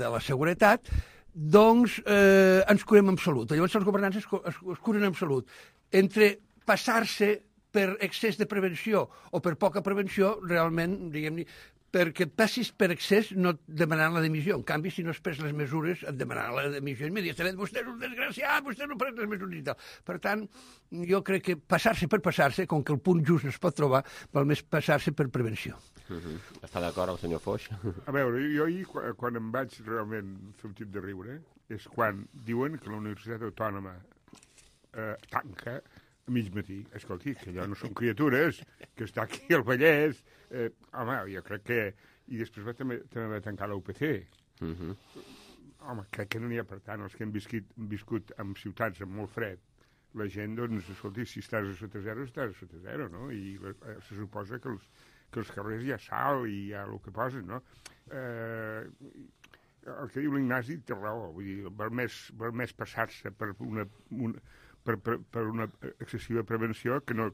la seguretat, doncs ens curem en salut. Llavors els governants es curen en salut. Entre passar-se per excés de prevenció o per poca prevenció, realment, diguem-ne, perquè et passis per excés no et demanaran la dimissió. En canvi, si no es pres les mesures, et demanaran la dimissió immediatament. Vostè és un desgraciat, vostè no pren les mesures i tal. Per tant, jo crec que passar-se per passar-se, com que el punt just no es pot trobar, val més passar-se per prevenció. Està d'acord el senyor Foix? A veure, jo ahir, quan em vaig realment fer un tip de riure, és quan diuen que la Universitat Autònoma tanca a mig matí. Escolti, que allò no són criatures, que està aquí al Vallès. Home, jo crec que... I després també va tancar la UPC. Home, crec que no n'hi ha per tant. Els que hem viscut en ciutats amb molt fred, la gent, doncs, escolti, si estàs a sota zero, estàs a sota zero, no? I se suposa que els carrers hi ha sal i hi ha el que posen, no? El que diu l'Ignasi té raó. Vull dir, val més passar-se per una excessiva prevenció que no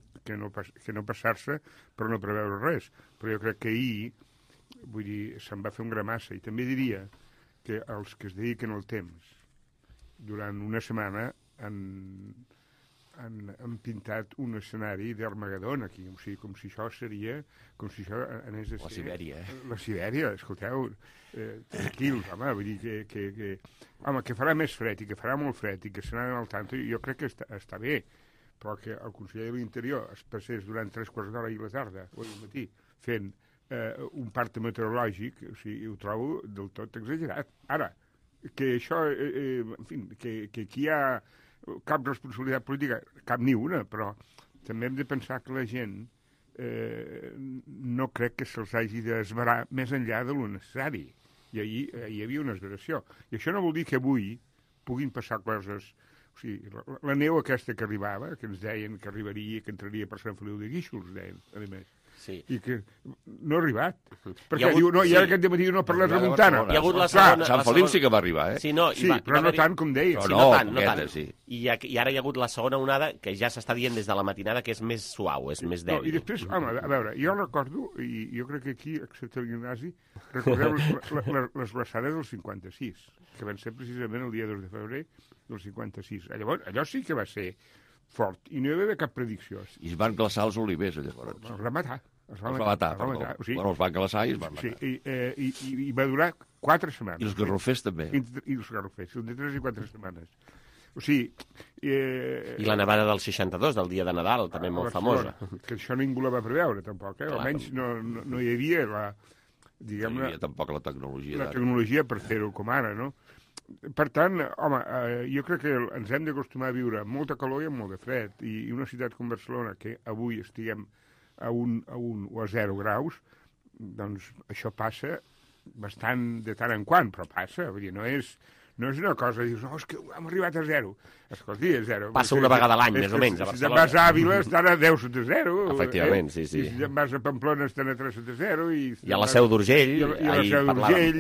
passar-se per no preveure res. Però jo crec que ahir, vull dir, se'n va fer un gramassa. I també diria que els que es dediquen al temps durant una setmana han pintat un escenari d'Armagedon aquí, o sigui, com si això seria, com si això anés a ser... La Sibèria, La Sibèria, escolteu, tranquils, home, vull dir que farà més fred i que farà molt fred i que se n'ha al tanto, jo crec que està bé, però que el conseller de l'Interior es passés durant 3 quarts d'hora i la tarda, o al matí, fent un parte meteorològic, o sigui, ho trobo del tot exagerat. Ara, que això, en fi, que aquí hi ha cap responsabilitat política, cap ni una, però també hem de pensar que la gent no crec que se'ls hagi d'esverar més enllà de lo necessari. I ahir hi havia una esveració. I això no vol dir que avui puguin passar coses... O sigui, la neu aquesta que arribava, que ens deien que arribaria, que entraria per Sant Feliu de Guíxols, deien, a més. Sí. I que no ha arribat. Perquè diu, no, i ara aquest dematí no ha parlat de Montana. Hi ha hagut la segona... Sant Feliu sí que va arribar, eh? Sí, però no tant com deia. No tant. I ara hi ha hagut la segona onada, que ja s'està dient des de la matinada que és més suau, és més dèbil. I després, home, a veure, jo recordo, i jo crec que aquí, excepte el Ignasi, recordeu les glaçades del 56, que van ser precisament el dia 2 de febrer del 56. Llavors, allò sí que va ser fort, i no hi va haver cap predicció. I es van glaçar els olivers, llavors. Els va matar. Els va matar. Bueno, els van glaçar i es van matar. Sí, i va durar 4 setmanes. I els garrofers també. I els garrofers, de 3 i 4 setmanes. O sigui... I la nevada del 62, del dia de Nadal, també molt famosa. Que això ningú la va preveure, tampoc, eh? Almenys no hi havia la... Diguem-ne... No hi havia tampoc la tecnologia. La tecnologia per fer-ho com ara, no? Per tant, home, jo crec que ens hem d'acostumar a viure amb molta calor i amb molt de fred. I una ciutat com Barcelona, que avui estiguem a 1 o a 0 graus, doncs això passa bastant de tant en quant, però passa. Vull dir, no és una cosa, dius, no, és que hem arribat a 0. Escolti, a 0. Passa una vegada a l'any, més o menys, a Barcelona. Si te'n vas a Àvila, estan a 10 sota 0. Efectivament, sí. I si te'n vas a Pamplona, estan a 3 sota 0. I a la Seu d'Urgell, ahir parlàvem.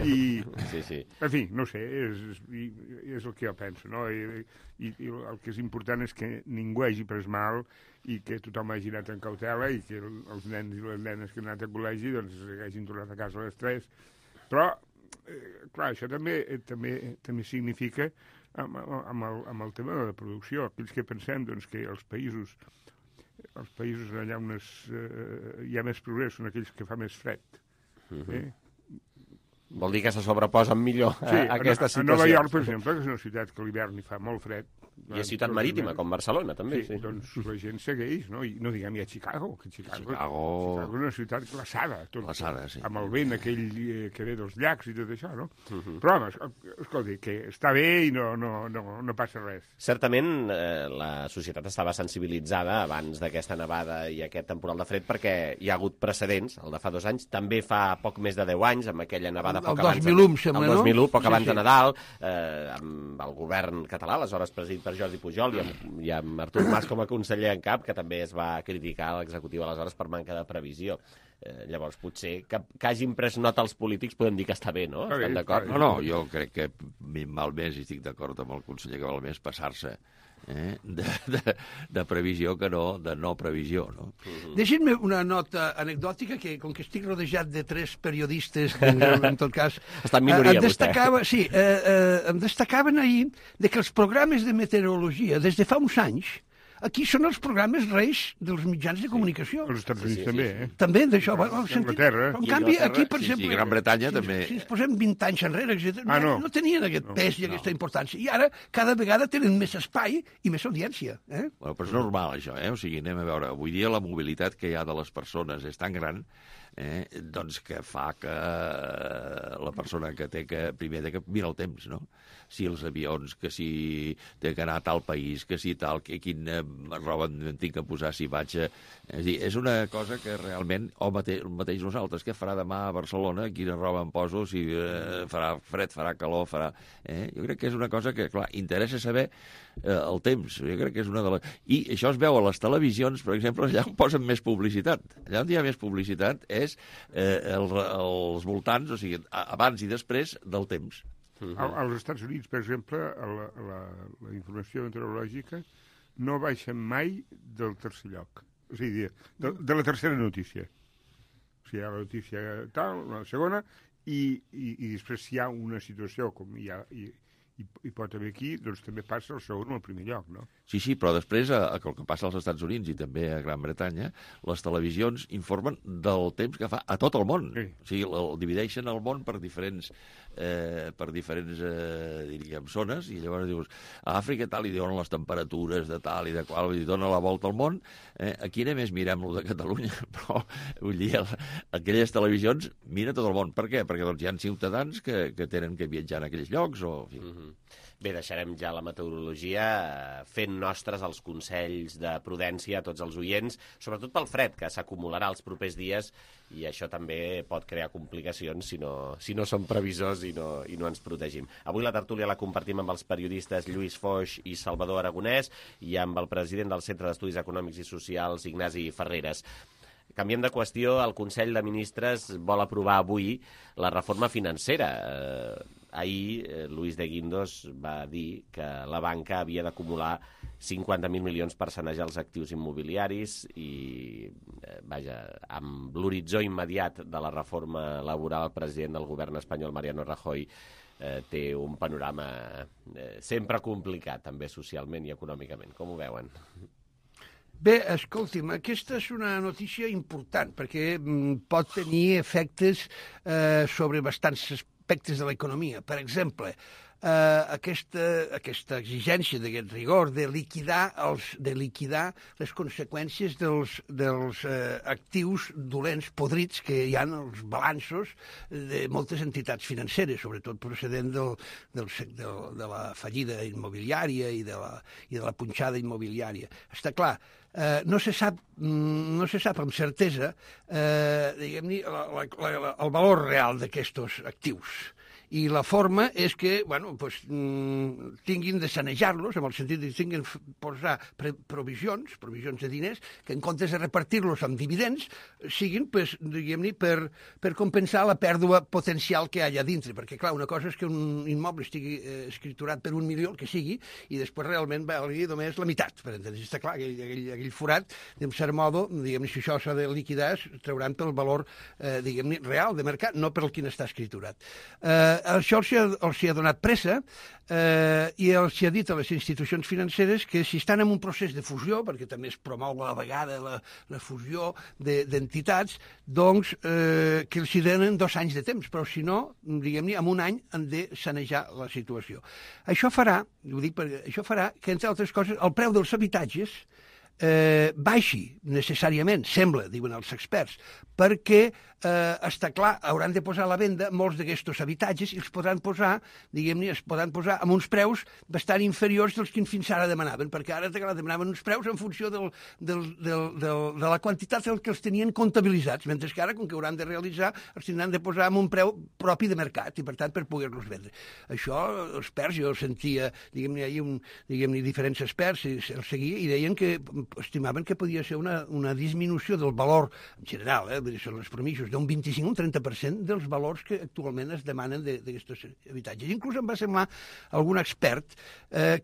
Sí. En fi, no sé, és el que jo penso, no? I el que és important és que ningú hagi pres mal i que tothom hagi anat en cautela i que els nens i les nenes que han anat a col·legi doncs hagin tornat a casa a les 3. Però clar, això també significa amb el tema de la producció. Aquells que pensem doncs, que els països allà on hi ha més progrés són aquells que fa més fred. Vol dir que se sobreposen millor a aquesta situació. A Nova York, per exemple, que és una ciutat que a l'hivern hi fa molt fred, I és ciutat marítima, com Barcelona, també. Sí, doncs la gent segueix, no? I no diguem ja Chicago, que Chicago és una ciutat glaçada, amb el vent aquell que ve dels llacs i tot això, no? Però, home, escolta, que està bé i no passa res. Certament, la societat estava sensibilitzada abans d'aquesta nevada i aquest temporal de fred perquè hi ha hagut precedents, el de fa 2 anys, també fa poc més de 10 anys, amb aquella nevada poc abans... El 2001, sembla, no? El 2001, poc abans de Nadal, amb el govern català, aleshores presidit per Jordi Pujol, i amb Artur Mas com a conseller en cap, que també es va criticar a l'executiu aleshores per manca de previsió. Llavors, potser que hagin pres nota els polítics podem dir que està bé, no? Estan d'acord? No, jo crec que val més, i estic d'acord amb el conseller, que val més passar-se de previsió que no de no previsió, no? Deixin-me una nota anecdòtica, que com que estic rodejat de 3 periodistes, en tot cas... Està en minoria, vostè. Sí, em destacaven ahir de que els programes de meteorologia, des de fa uns anys, aquí són els programes reis dels mitjans de comunicació. Els Estats Units també, eh? També, d'això. Anglaterra. En canvi, aquí, per exemple... I Gran Bretanya també. Si ens posem 20 anys enrere, no tenien aquest pes i aquesta importància. I ara, cada vegada tenen més espai i més audiència. Bueno, però és normal, això, O sigui, anem a veure. Avui dia la mobilitat que hi ha de les persones és tan gran doncs que fa que la persona que té que primer té que mirar el temps, no? Si els avions, que si té que anar a tal país, que si tal, que quina roba em tinc que posar si vaig a... És a dir, és una cosa que realment, mateix nosaltres, què farà demà a Barcelona, quina roba em poso, si farà fred, farà calor, farà... Jo crec que és una cosa que, clar, interessa saber el temps. Jo crec que és una de les... I això es veu a les televisions, per exemple, allà on posen més publicitat. Allà on hi ha més publicitat és els voltants, o sigui, abans i després del temps. Als Estats Units, per exemple, la informació meteorològica no baixa mai del tercer lloc. O sigui, de la tercera notícia. O sigui, hi ha la notícia tal, la segona, i després si hi ha una situació com hi pot haver aquí, doncs també passa el segon o el primer lloc, no? Sí, però després, el que passa als Estats Units i també a Gran Bretanya, les televisions informen del temps que fa a tot el món. Sí. O sigui, el divideixen el món per diferents diríem, zones, i llavors dius, a Àfrica tal, i donen les temperatures de tal i de qual, i dona la volta al món. Aquí només mirem-lo de Catalunya, però vull dir, aquelles televisions mira tot el món. Per què? Perquè doncs, hi ha ciutadans que tenen que viatjar en aquells llocs, o... En fi. Bé, deixarem ja la meteorologia fent nostres els consells de prudència a tots els oients, sobretot pel fred, que s'acumularà els propers dies, i això també pot crear complicacions si no som previsors i no ens protegim. Avui la tertúlia la compartim amb els periodistes Lluís Foix i Salvador Aragonès i amb el president del Centre d'Estudis Econòmics i Socials, Ignasi Ferreres. Canviem de qüestió, el Consell de Ministres vol aprovar avui la reforma financera. Ahir, Luis de Guindos va dir que la banca havia d'acumular 50.000 milions per sanejar els actius immobiliaris i, vaja, amb l'horitzó immediat de la reforma laboral, el president del govern espanyol, Mariano Rajoy, té un panorama sempre complicat, també socialment i econòmicament. Com ho veuen? Bé, escolti'm, aquesta és una notícia important perquè pot tenir efectes sobre bastants aspectes de l'economia. Per exemple, aquesta exigència d'aquest rigor de liquidar les conseqüències dels actius dolents, podrits, que hi ha als balanços de moltes entitats financeres, sobretot procedent de la fallida immobiliària i de la punxada immobiliària. Està clar, no se sap amb certesa diguem-ne el valor real d'aquests actius. I la forma és que tinguin de sanejar-los, en el sentit que tinguin de posar provisions de diners, que en comptes de repartir-los amb dividends, siguin, diguem-ne, per compensar la pèrdua potencial que hi ha allà dintre. Perquè, clar, una cosa és que un immoble estigui escriturat per 1 milió, el que sigui, i després realment valgui només la meitat. Per entendre's, està clar que aquell forat, d'un cert modo, diguem-ne, si això s'ha de liquidar, es trauran pel valor, diguem-ne, real de mercat, no per el quin està escriturat. Això els hi ha donat pressa i els hi ha dit a les institucions financeres que si estan en un procés de fusió, perquè també es promou a la vegada la fusió d'entitats, doncs que els hi donen 2 anys de temps, però si no, diguem-ne, en un any han de sanejar la situació. Això farà, ho dic perquè això farà que, entre altres coses, el preu dels habitatges baixi necessàriament, sembla, diuen els experts, perquè està clar, hauran de posar a la venda molts d'aquests habitatges i els podran posar, diguem-ne, amb uns preus bastant inferiors dels que fins ara demanaven, perquè ara demanaven uns preus en funció de la quantitat que els tenien comptabilitzats, mentre que ara, com que hauran de realitzar, els tindran de posar amb un preu propi de mercat i, per tant, per poder-los vendre. Això, els experts, jo sentia, diguem-ne, diferents experts, els seguia i deien que estimaven que podia ser una disminució del valor, en general, són els permisos, d'un 25 o un 30% dels valors que actualment es demanen d'aquests habitatges. Inclús em va semblar algun expert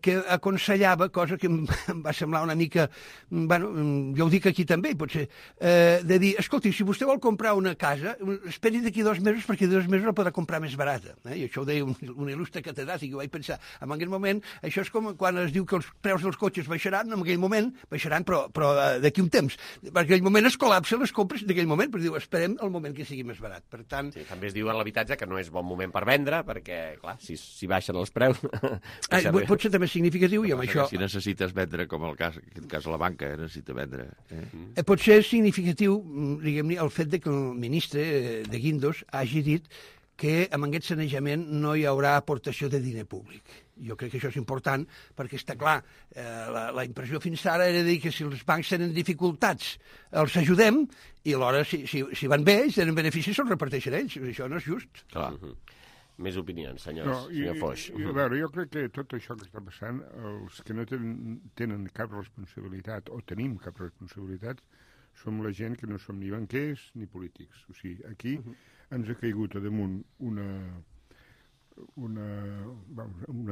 que aconsellava, cosa que em va semblar una mica, bueno, jo ho dic aquí també, potser, de dir, escolti, si vostè vol comprar una casa, esperi d'aquí 2 mesos perquè 2 mesos la podrà comprar més barata. I això ho deia un il·lustre catedràtic, i ho vaig pensar. En aquell moment, això és com quan es diu que els preus dels cotxes baixaran, en aquell moment baixaran, però d'aquí un temps. Per aquell moment es col·lapsen les compres d'aquell moment, però diu, esperem el moment que sigui més barat. Per tant... Sí, també es diu a l'habitatge que no és bon moment per vendre, perquè, clar, si baixen els preus... Pot ser també significatiu, i amb això... Si necessites vendre, com en aquest cas la banca necessita vendre... Pot ser significatiu, diguem-ne, el fet que el ministre de Guindos hagi dit que amb aquest sanejament no hi haurà aportació de diner públic. Jo crec que això és important perquè està clar, la impressió fins ara era dir que si els bancs tenen dificultats els ajudem i alhora si van bé, si tenen beneficis se'ls reparteixen ells. Això no és just. Clar. Més opinions, senyor Foix. A veure, jo crec que tot això que està passant, els que no tenen cap responsabilitat o tenim cap responsabilitat som la gent que no som ni banquers ni polítics. O sigui, aquí ens ha caigut a damunt una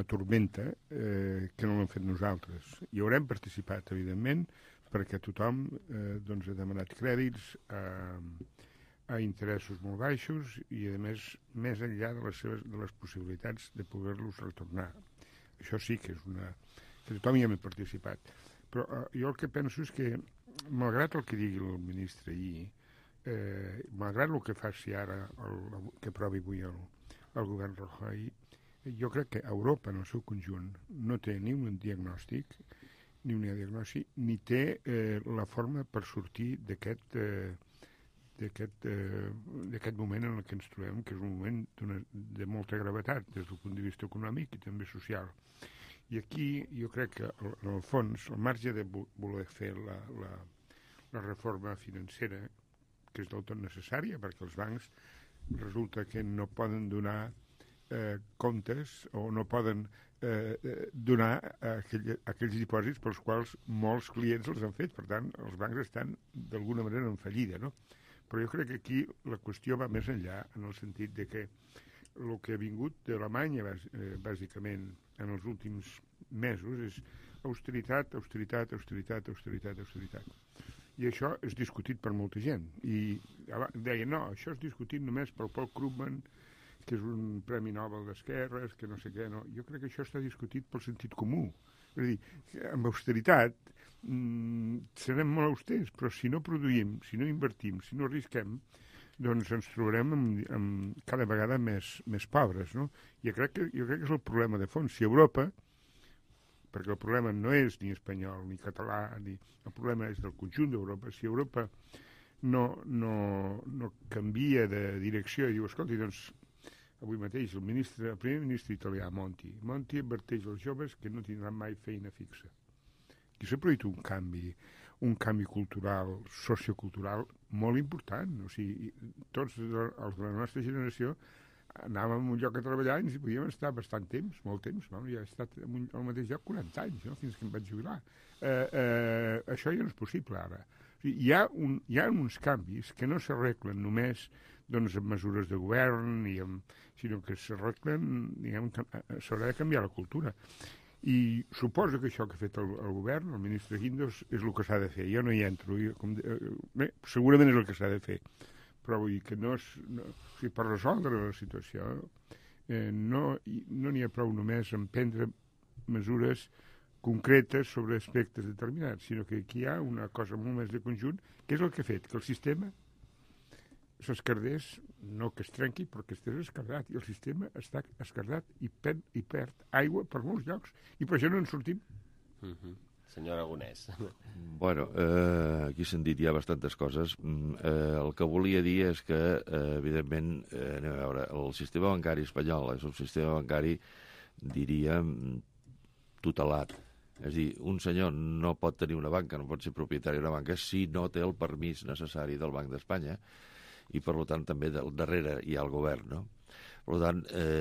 tormenta que no l'hem fet nosaltres. Hi haurem participat, evidentment, perquè tothom ha demanat crèdits a interessos molt baixos i, a més enllà de les possibilitats de poder-los retornar. Això sí que és que tothom hi hem participat. Però jo el que penso és que, malgrat el que digui el ministre ahir, malgrat el que faci ara, que aprovi avui el govern Rajoy, jo crec que Europa, en el seu conjunt, no té ni un diagnòstic, ni té la forma per sortir d'aquest moment en què ens trobem, que és un moment de molta gravetat des del punt de vista econòmic i també social. I aquí jo crec que, en el fons, al marge de voler fer la reforma financera, que és del tot necessària, perquè els bancs resulta que no poden donar comptes o no poden donar aquells dipòsits pels quals molts clients els han fet. Per tant, els bancs estan d'alguna manera en fallida, no? Però jo crec que aquí la qüestió va més enllà, en el sentit de que el que ha vingut d'Alemanya, bàsicament, en els últims mesos, és austeritat, austeritat, austeritat, austeritat, austeritat. I això és discutit per molta gent. I deia, no, això és discutit només pel Paul Krugman, que és un premi Nobel d'esquerres, que no sé què, no. Jo crec que això està discutit pel sentit comú. És a dir, amb austeritat serem molt austers, però si no produïm, si no invertim, si no arrisquem, doncs ens trobarem cada vegada més pobres, no? Jo crec que és el problema de fons. Si Europa, perquè el problema no és ni espanyol ni català, el problema és del conjunt d'Europa, si Europa no canvia de direcció i diu, escolti, doncs, avui mateix el primer ministre italià, Monti adverteix als joves que no tindran mai feina fixa. Aquí s'ha produït un canvi cultural, sociocultural, molt important. O sigui, tots els de la nostra generació anàvem a un lloc a treballar i ens hi podíem estar bastant temps, molt temps. Jo he estat al mateix lloc 40 anys, no? Fins que em vaig jubilar. Això ja no és possible ara. O sigui, hi ha uns canvis que no s'arreglen només amb mesures de govern, sinó que s'arreglen, s'haurà de canviar la cultura. I suposo que això que ha fet el govern, el ministre Guindos, és el que s'ha de fer. Jo no hi entro. Segurament és el que s'ha de fer. Però vull dir que per resoldre la situació no n'hi ha prou només en prendre mesures concretes sobre aspectes determinats, sinó que aquí hi ha una cosa molt més de conjunt, que és el que ha fet que el sistema s'escardés, no que es trenqui, però que estés escardat, i el sistema està escardat i perd aigua per molts llocs, i per això no en sortim. Senyor Aragonès. Bueno, aquí s'han dit ja bastantes coses. El que volia dir és que, evidentment, anem a veure, el sistema bancari espanyol és un sistema bancari, diríem, tutelat. És a dir, un senyor no pot tenir una banca, no pot ser propietari d'una banca si no té el permís necessari del Banc d'Espanya, i per tant també darrere hi ha el govern, no? Per tant,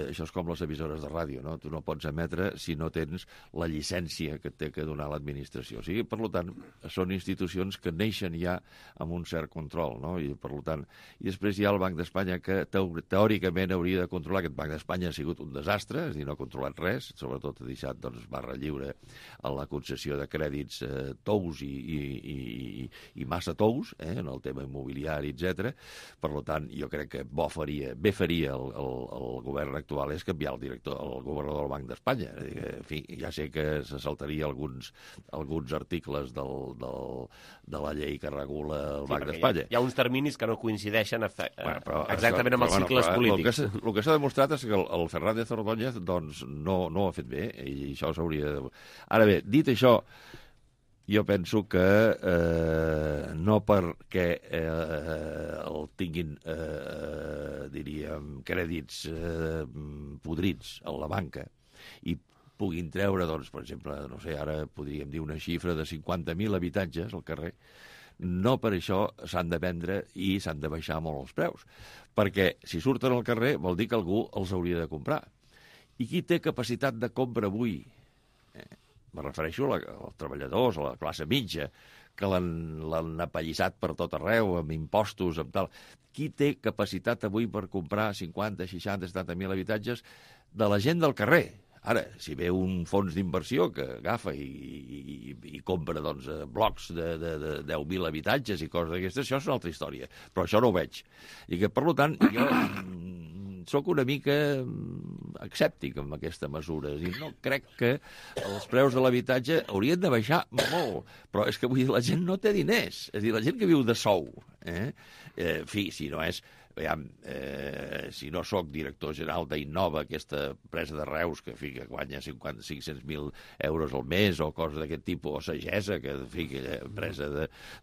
això és com les emissores de ràdio, no? Tu no pots emetre si no tens la llicència que té que donar l'administració. O sigui, per tant, són institucions que neixen ja amb un cert control, no? I per tant, i després hi ha el Banc d'Espanya que teòricament hauria de controlar. Aquest Banc d'Espanya ha sigut un desastre, és a dir, no ha controlat res, sobretot ha deixat barra lliure a la concessió de crèdits tous i massa tous, en el tema immobiliari, etc. Per tant, jo crec que bé faria el govern actual és canviar el governador del Banc d'Espanya. En fi, ja sé que se saltaria alguns articles de la llei que regula el Banc d'Espanya. Hi ha uns terminis que no coincideixen exactament amb els cicles polítics. El que s'ha demostrat és que el Fernández Ordóñez no ho ha fet bé, i això s'hauria de... Ara bé, dit això, jo penso que no perquè el tinguin, diríem, crèdits podrits a la banca i puguin treure, doncs, per exemple, no sé, ara podríem dir una xifra de 50.000 habitatges al carrer, no per això s'han de vendre i s'han de baixar molt els preus, perquè si surten al carrer vol dir que algú els hauria de comprar. I qui té capacitat de compra avui? Me refereixo als treballadors, a la classe mitja, que l'han apallissat per tot arreu, amb impostos, amb tal. Qui té capacitat avui per comprar 50, 60, 70.000 habitatges de la gent del carrer? Ara, si ve un fons d'inversió que agafa i compra blocs de 10.000 habitatges i coses d'aquestes, això és una altra història. Però això no ho veig. I que, per tant, jo sóc una mica escèptic amb aquesta mesura. És a dir, no crec que els preus de l'habitatge haurien de baixar molt, però és que vull dir, la gent no té diners. És a dir, la gent que viu de sou, en fi, si no és... si no sóc director general d'Innova, aquesta empresa de Reus que guanya 500.000 euros al mes o coses d'aquest tipus, o Sagesa, que empresa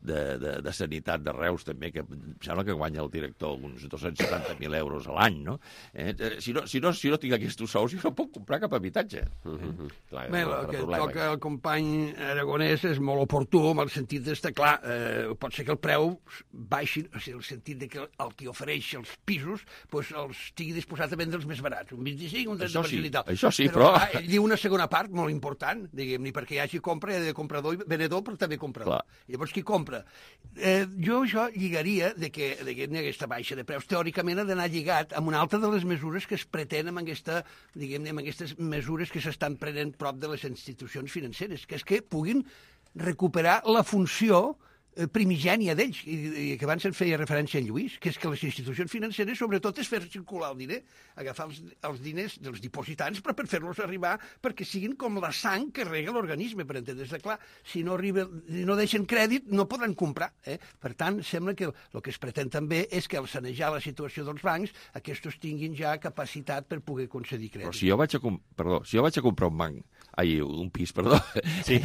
de sanitat de Reus també, que em sembla que guanya el director uns 270.000 euros a l'any, no? Si no tinc aquests sous, jo no puc comprar cap habitatge. Bé, el que toca el company Aragonès és molt oportú, en el sentit d'estar clar, pot ser que el preu baixi, o sigui, el sentit de que el que ofereix els pisos els estigui disposat a vendre els més barats, un 25, un 30% i tal. Això sí, però... Ell diu una segona part molt important, diguem-ne, perquè hi hagi compra, hi ha de comprador i venedor, però també comprador. Llavors, qui compra? Jo això lligaria de que aquesta baixa de preus teòricament ha d'anar lligat amb una altra de les mesures que es pretenen amb aquestes mesures que s'estan prenent prop de les institucions financeres, que és que puguin recuperar la funció primigènia d'ells, i que abans se'n feia referència a Lluís, que és que les institucions financeres sobretot és fer circular el diner, agafar els diners dels dipositants per fer-los arribar perquè siguin com la sang que rega l'organisme, per entendre's. Clar, si no deixen crèdit no podran comprar. Per tant, sembla que el que es pretén també és que al sanejar la situació dels bancs aquests tinguin ja capacitat per poder concedir crèdit. Però si jo vaig a comprar un pis, perdó. Sí,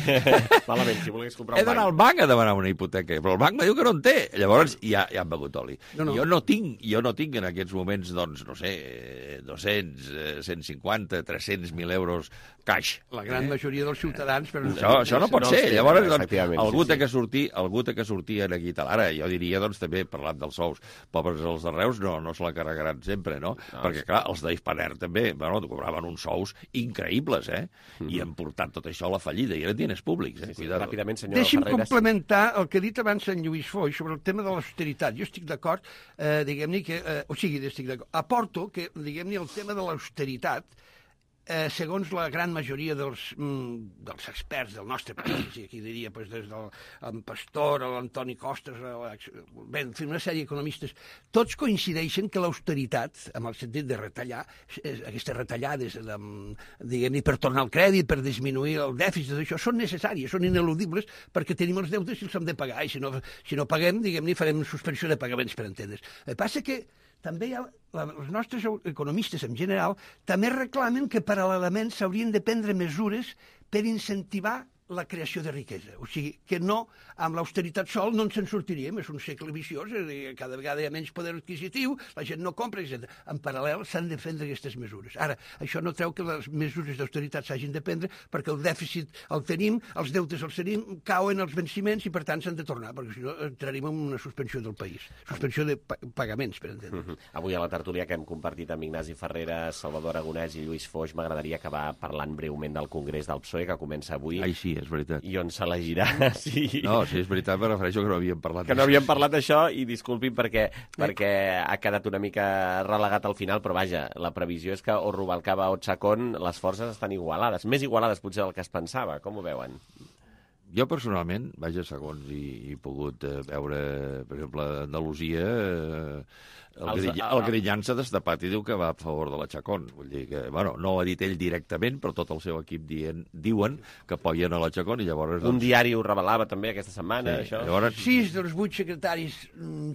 malament, si volgués comprar un banc. He d'anar al banc a demanar una hipoteca, però el banc me diu que no en té. Llavors ja han begut oli. Jo no tinc en aquests moments, doncs, no sé, 200, 150, 300.000 euros cash. La gran majoria dels ciutadans... Això no pot ser. Llavors, algú té que sortir aquí i tal. Ara, jo diria, doncs, també, parlant dels sous, pobres els de Reus no se la carregaran sempre, no? Perquè, clar, els d'Hispaner també, cobraven uns sous increïbles, i han portat tot això a la fallida, i eren diners públics. Ràpidament, senyor Deixi'm Ferreras. complementar el que ha dit abans en Lluís Foix sobre el tema de l'austeritat. Jo estic d'acord, diguem-ne que... aporto que, diguem-ne, el tema de l'austeritat segons la gran majoria dels experts del nostre país, i aquí diria des del Pastor, l'Antoni Costas, bé, en fi, una sèrie d'economistes, tots coincideixen que l'austeritat, amb el sentit de retallar, aquestes retallades, diguem-ne, per tornar al crèdit, per disminuir el dèficit, això, són necessàries, són ineludibles, perquè tenim els deutes i els hem de pagar, i si no paguem, diguem-ne, farem suspensió de pagaments, per entendre's. El que passa que també els nostres economistes en general també reclamen que paral·lelament s'haurien de prendre mesures per incentivar la creació de riquesa. O sigui, que no, amb l'austeritat sol no ens en sortiríem, és un segle viciós, cada vegada hi ha menys poder adquisitiu, la gent no compra, etc. En paral·lel s'han de prendre aquestes mesures. Ara, això no treu que les mesures d'austeritat s'hagin de prendre, perquè el dèficit el tenim, els deutes els tenim, cauen els venciments i per tant s'han de tornar, perquè si no entraríem en una suspensió del país. Suspensió de pagaments, per entendre. Avui a la tertúlia que hem compartit amb Ignasi Ferreras, Salvador Aragonès i Lluís Foix, m'agradaria acabar parlant breument del Congrés del PSOE, que comença avui. Ai, sí, és veritat. I on s'elegirà. Sí. No, sí, és veritat, me refereixo que no havíem parlat d'això. Que no havíem parlat d'això, i disculpin perquè ha quedat una mica relegat al final, però vaja, la previsió és que o Rubalcaba o Chacón, les forces estan igualades, més igualades potser del que es pensava. Com ho veuen? Jo personalment, vaja, segons he pogut veure, per exemple, a Andalusia, el Grillan s'ha destapat i diu que va a favor de la Chacón. Vull dir que, bueno, no ho ha dit ell directament, però tot el seu equip diuen que apoyen a la Chacón i llavors... Un diari ho revelava també aquesta setmana, això. Llavors... 6 dels 8 secretaris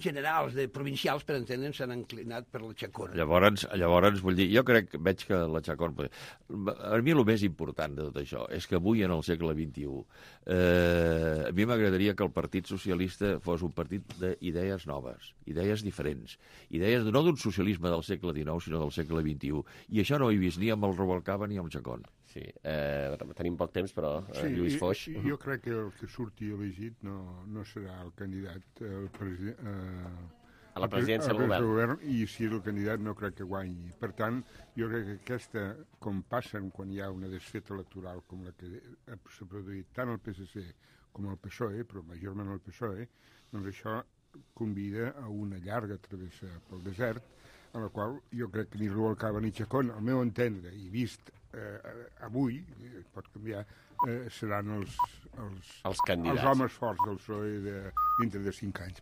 generals provincials, per entendre'ns, s'han inclinat per la Chacón. Llavors, vull dir, jo veig que la Chacón... A mi el més important de tot això és que avui, en el segle XXI, a mi m'agradaria que el Partit Socialista fos un partit d'idees noves, idees diferents, idees no d'un socialisme del segle XIX, sinó del segle XXI. I això no ho he vist ni amb el Rubalcaba ni amb el Chacón. Sí, tenim poc temps, però Lluís Foix... Jo crec que el que surti elegit no serà el candidat a la presidència del govern. I si és el candidat no crec que guanyi. Per tant, jo crec que aquesta, com passen quan hi ha una desfeta electoral com la que s'ha produït tant el PSC com el PSOE, però majorment el PSOE, doncs això convida a una llarga travessa pel desert, en la qual jo crec que ni Rubalcaba ni Chacón, al meu entendre, i vist avui, pot canviar, seran els candidats, els homes forts del PSOE dintre de 5 anys.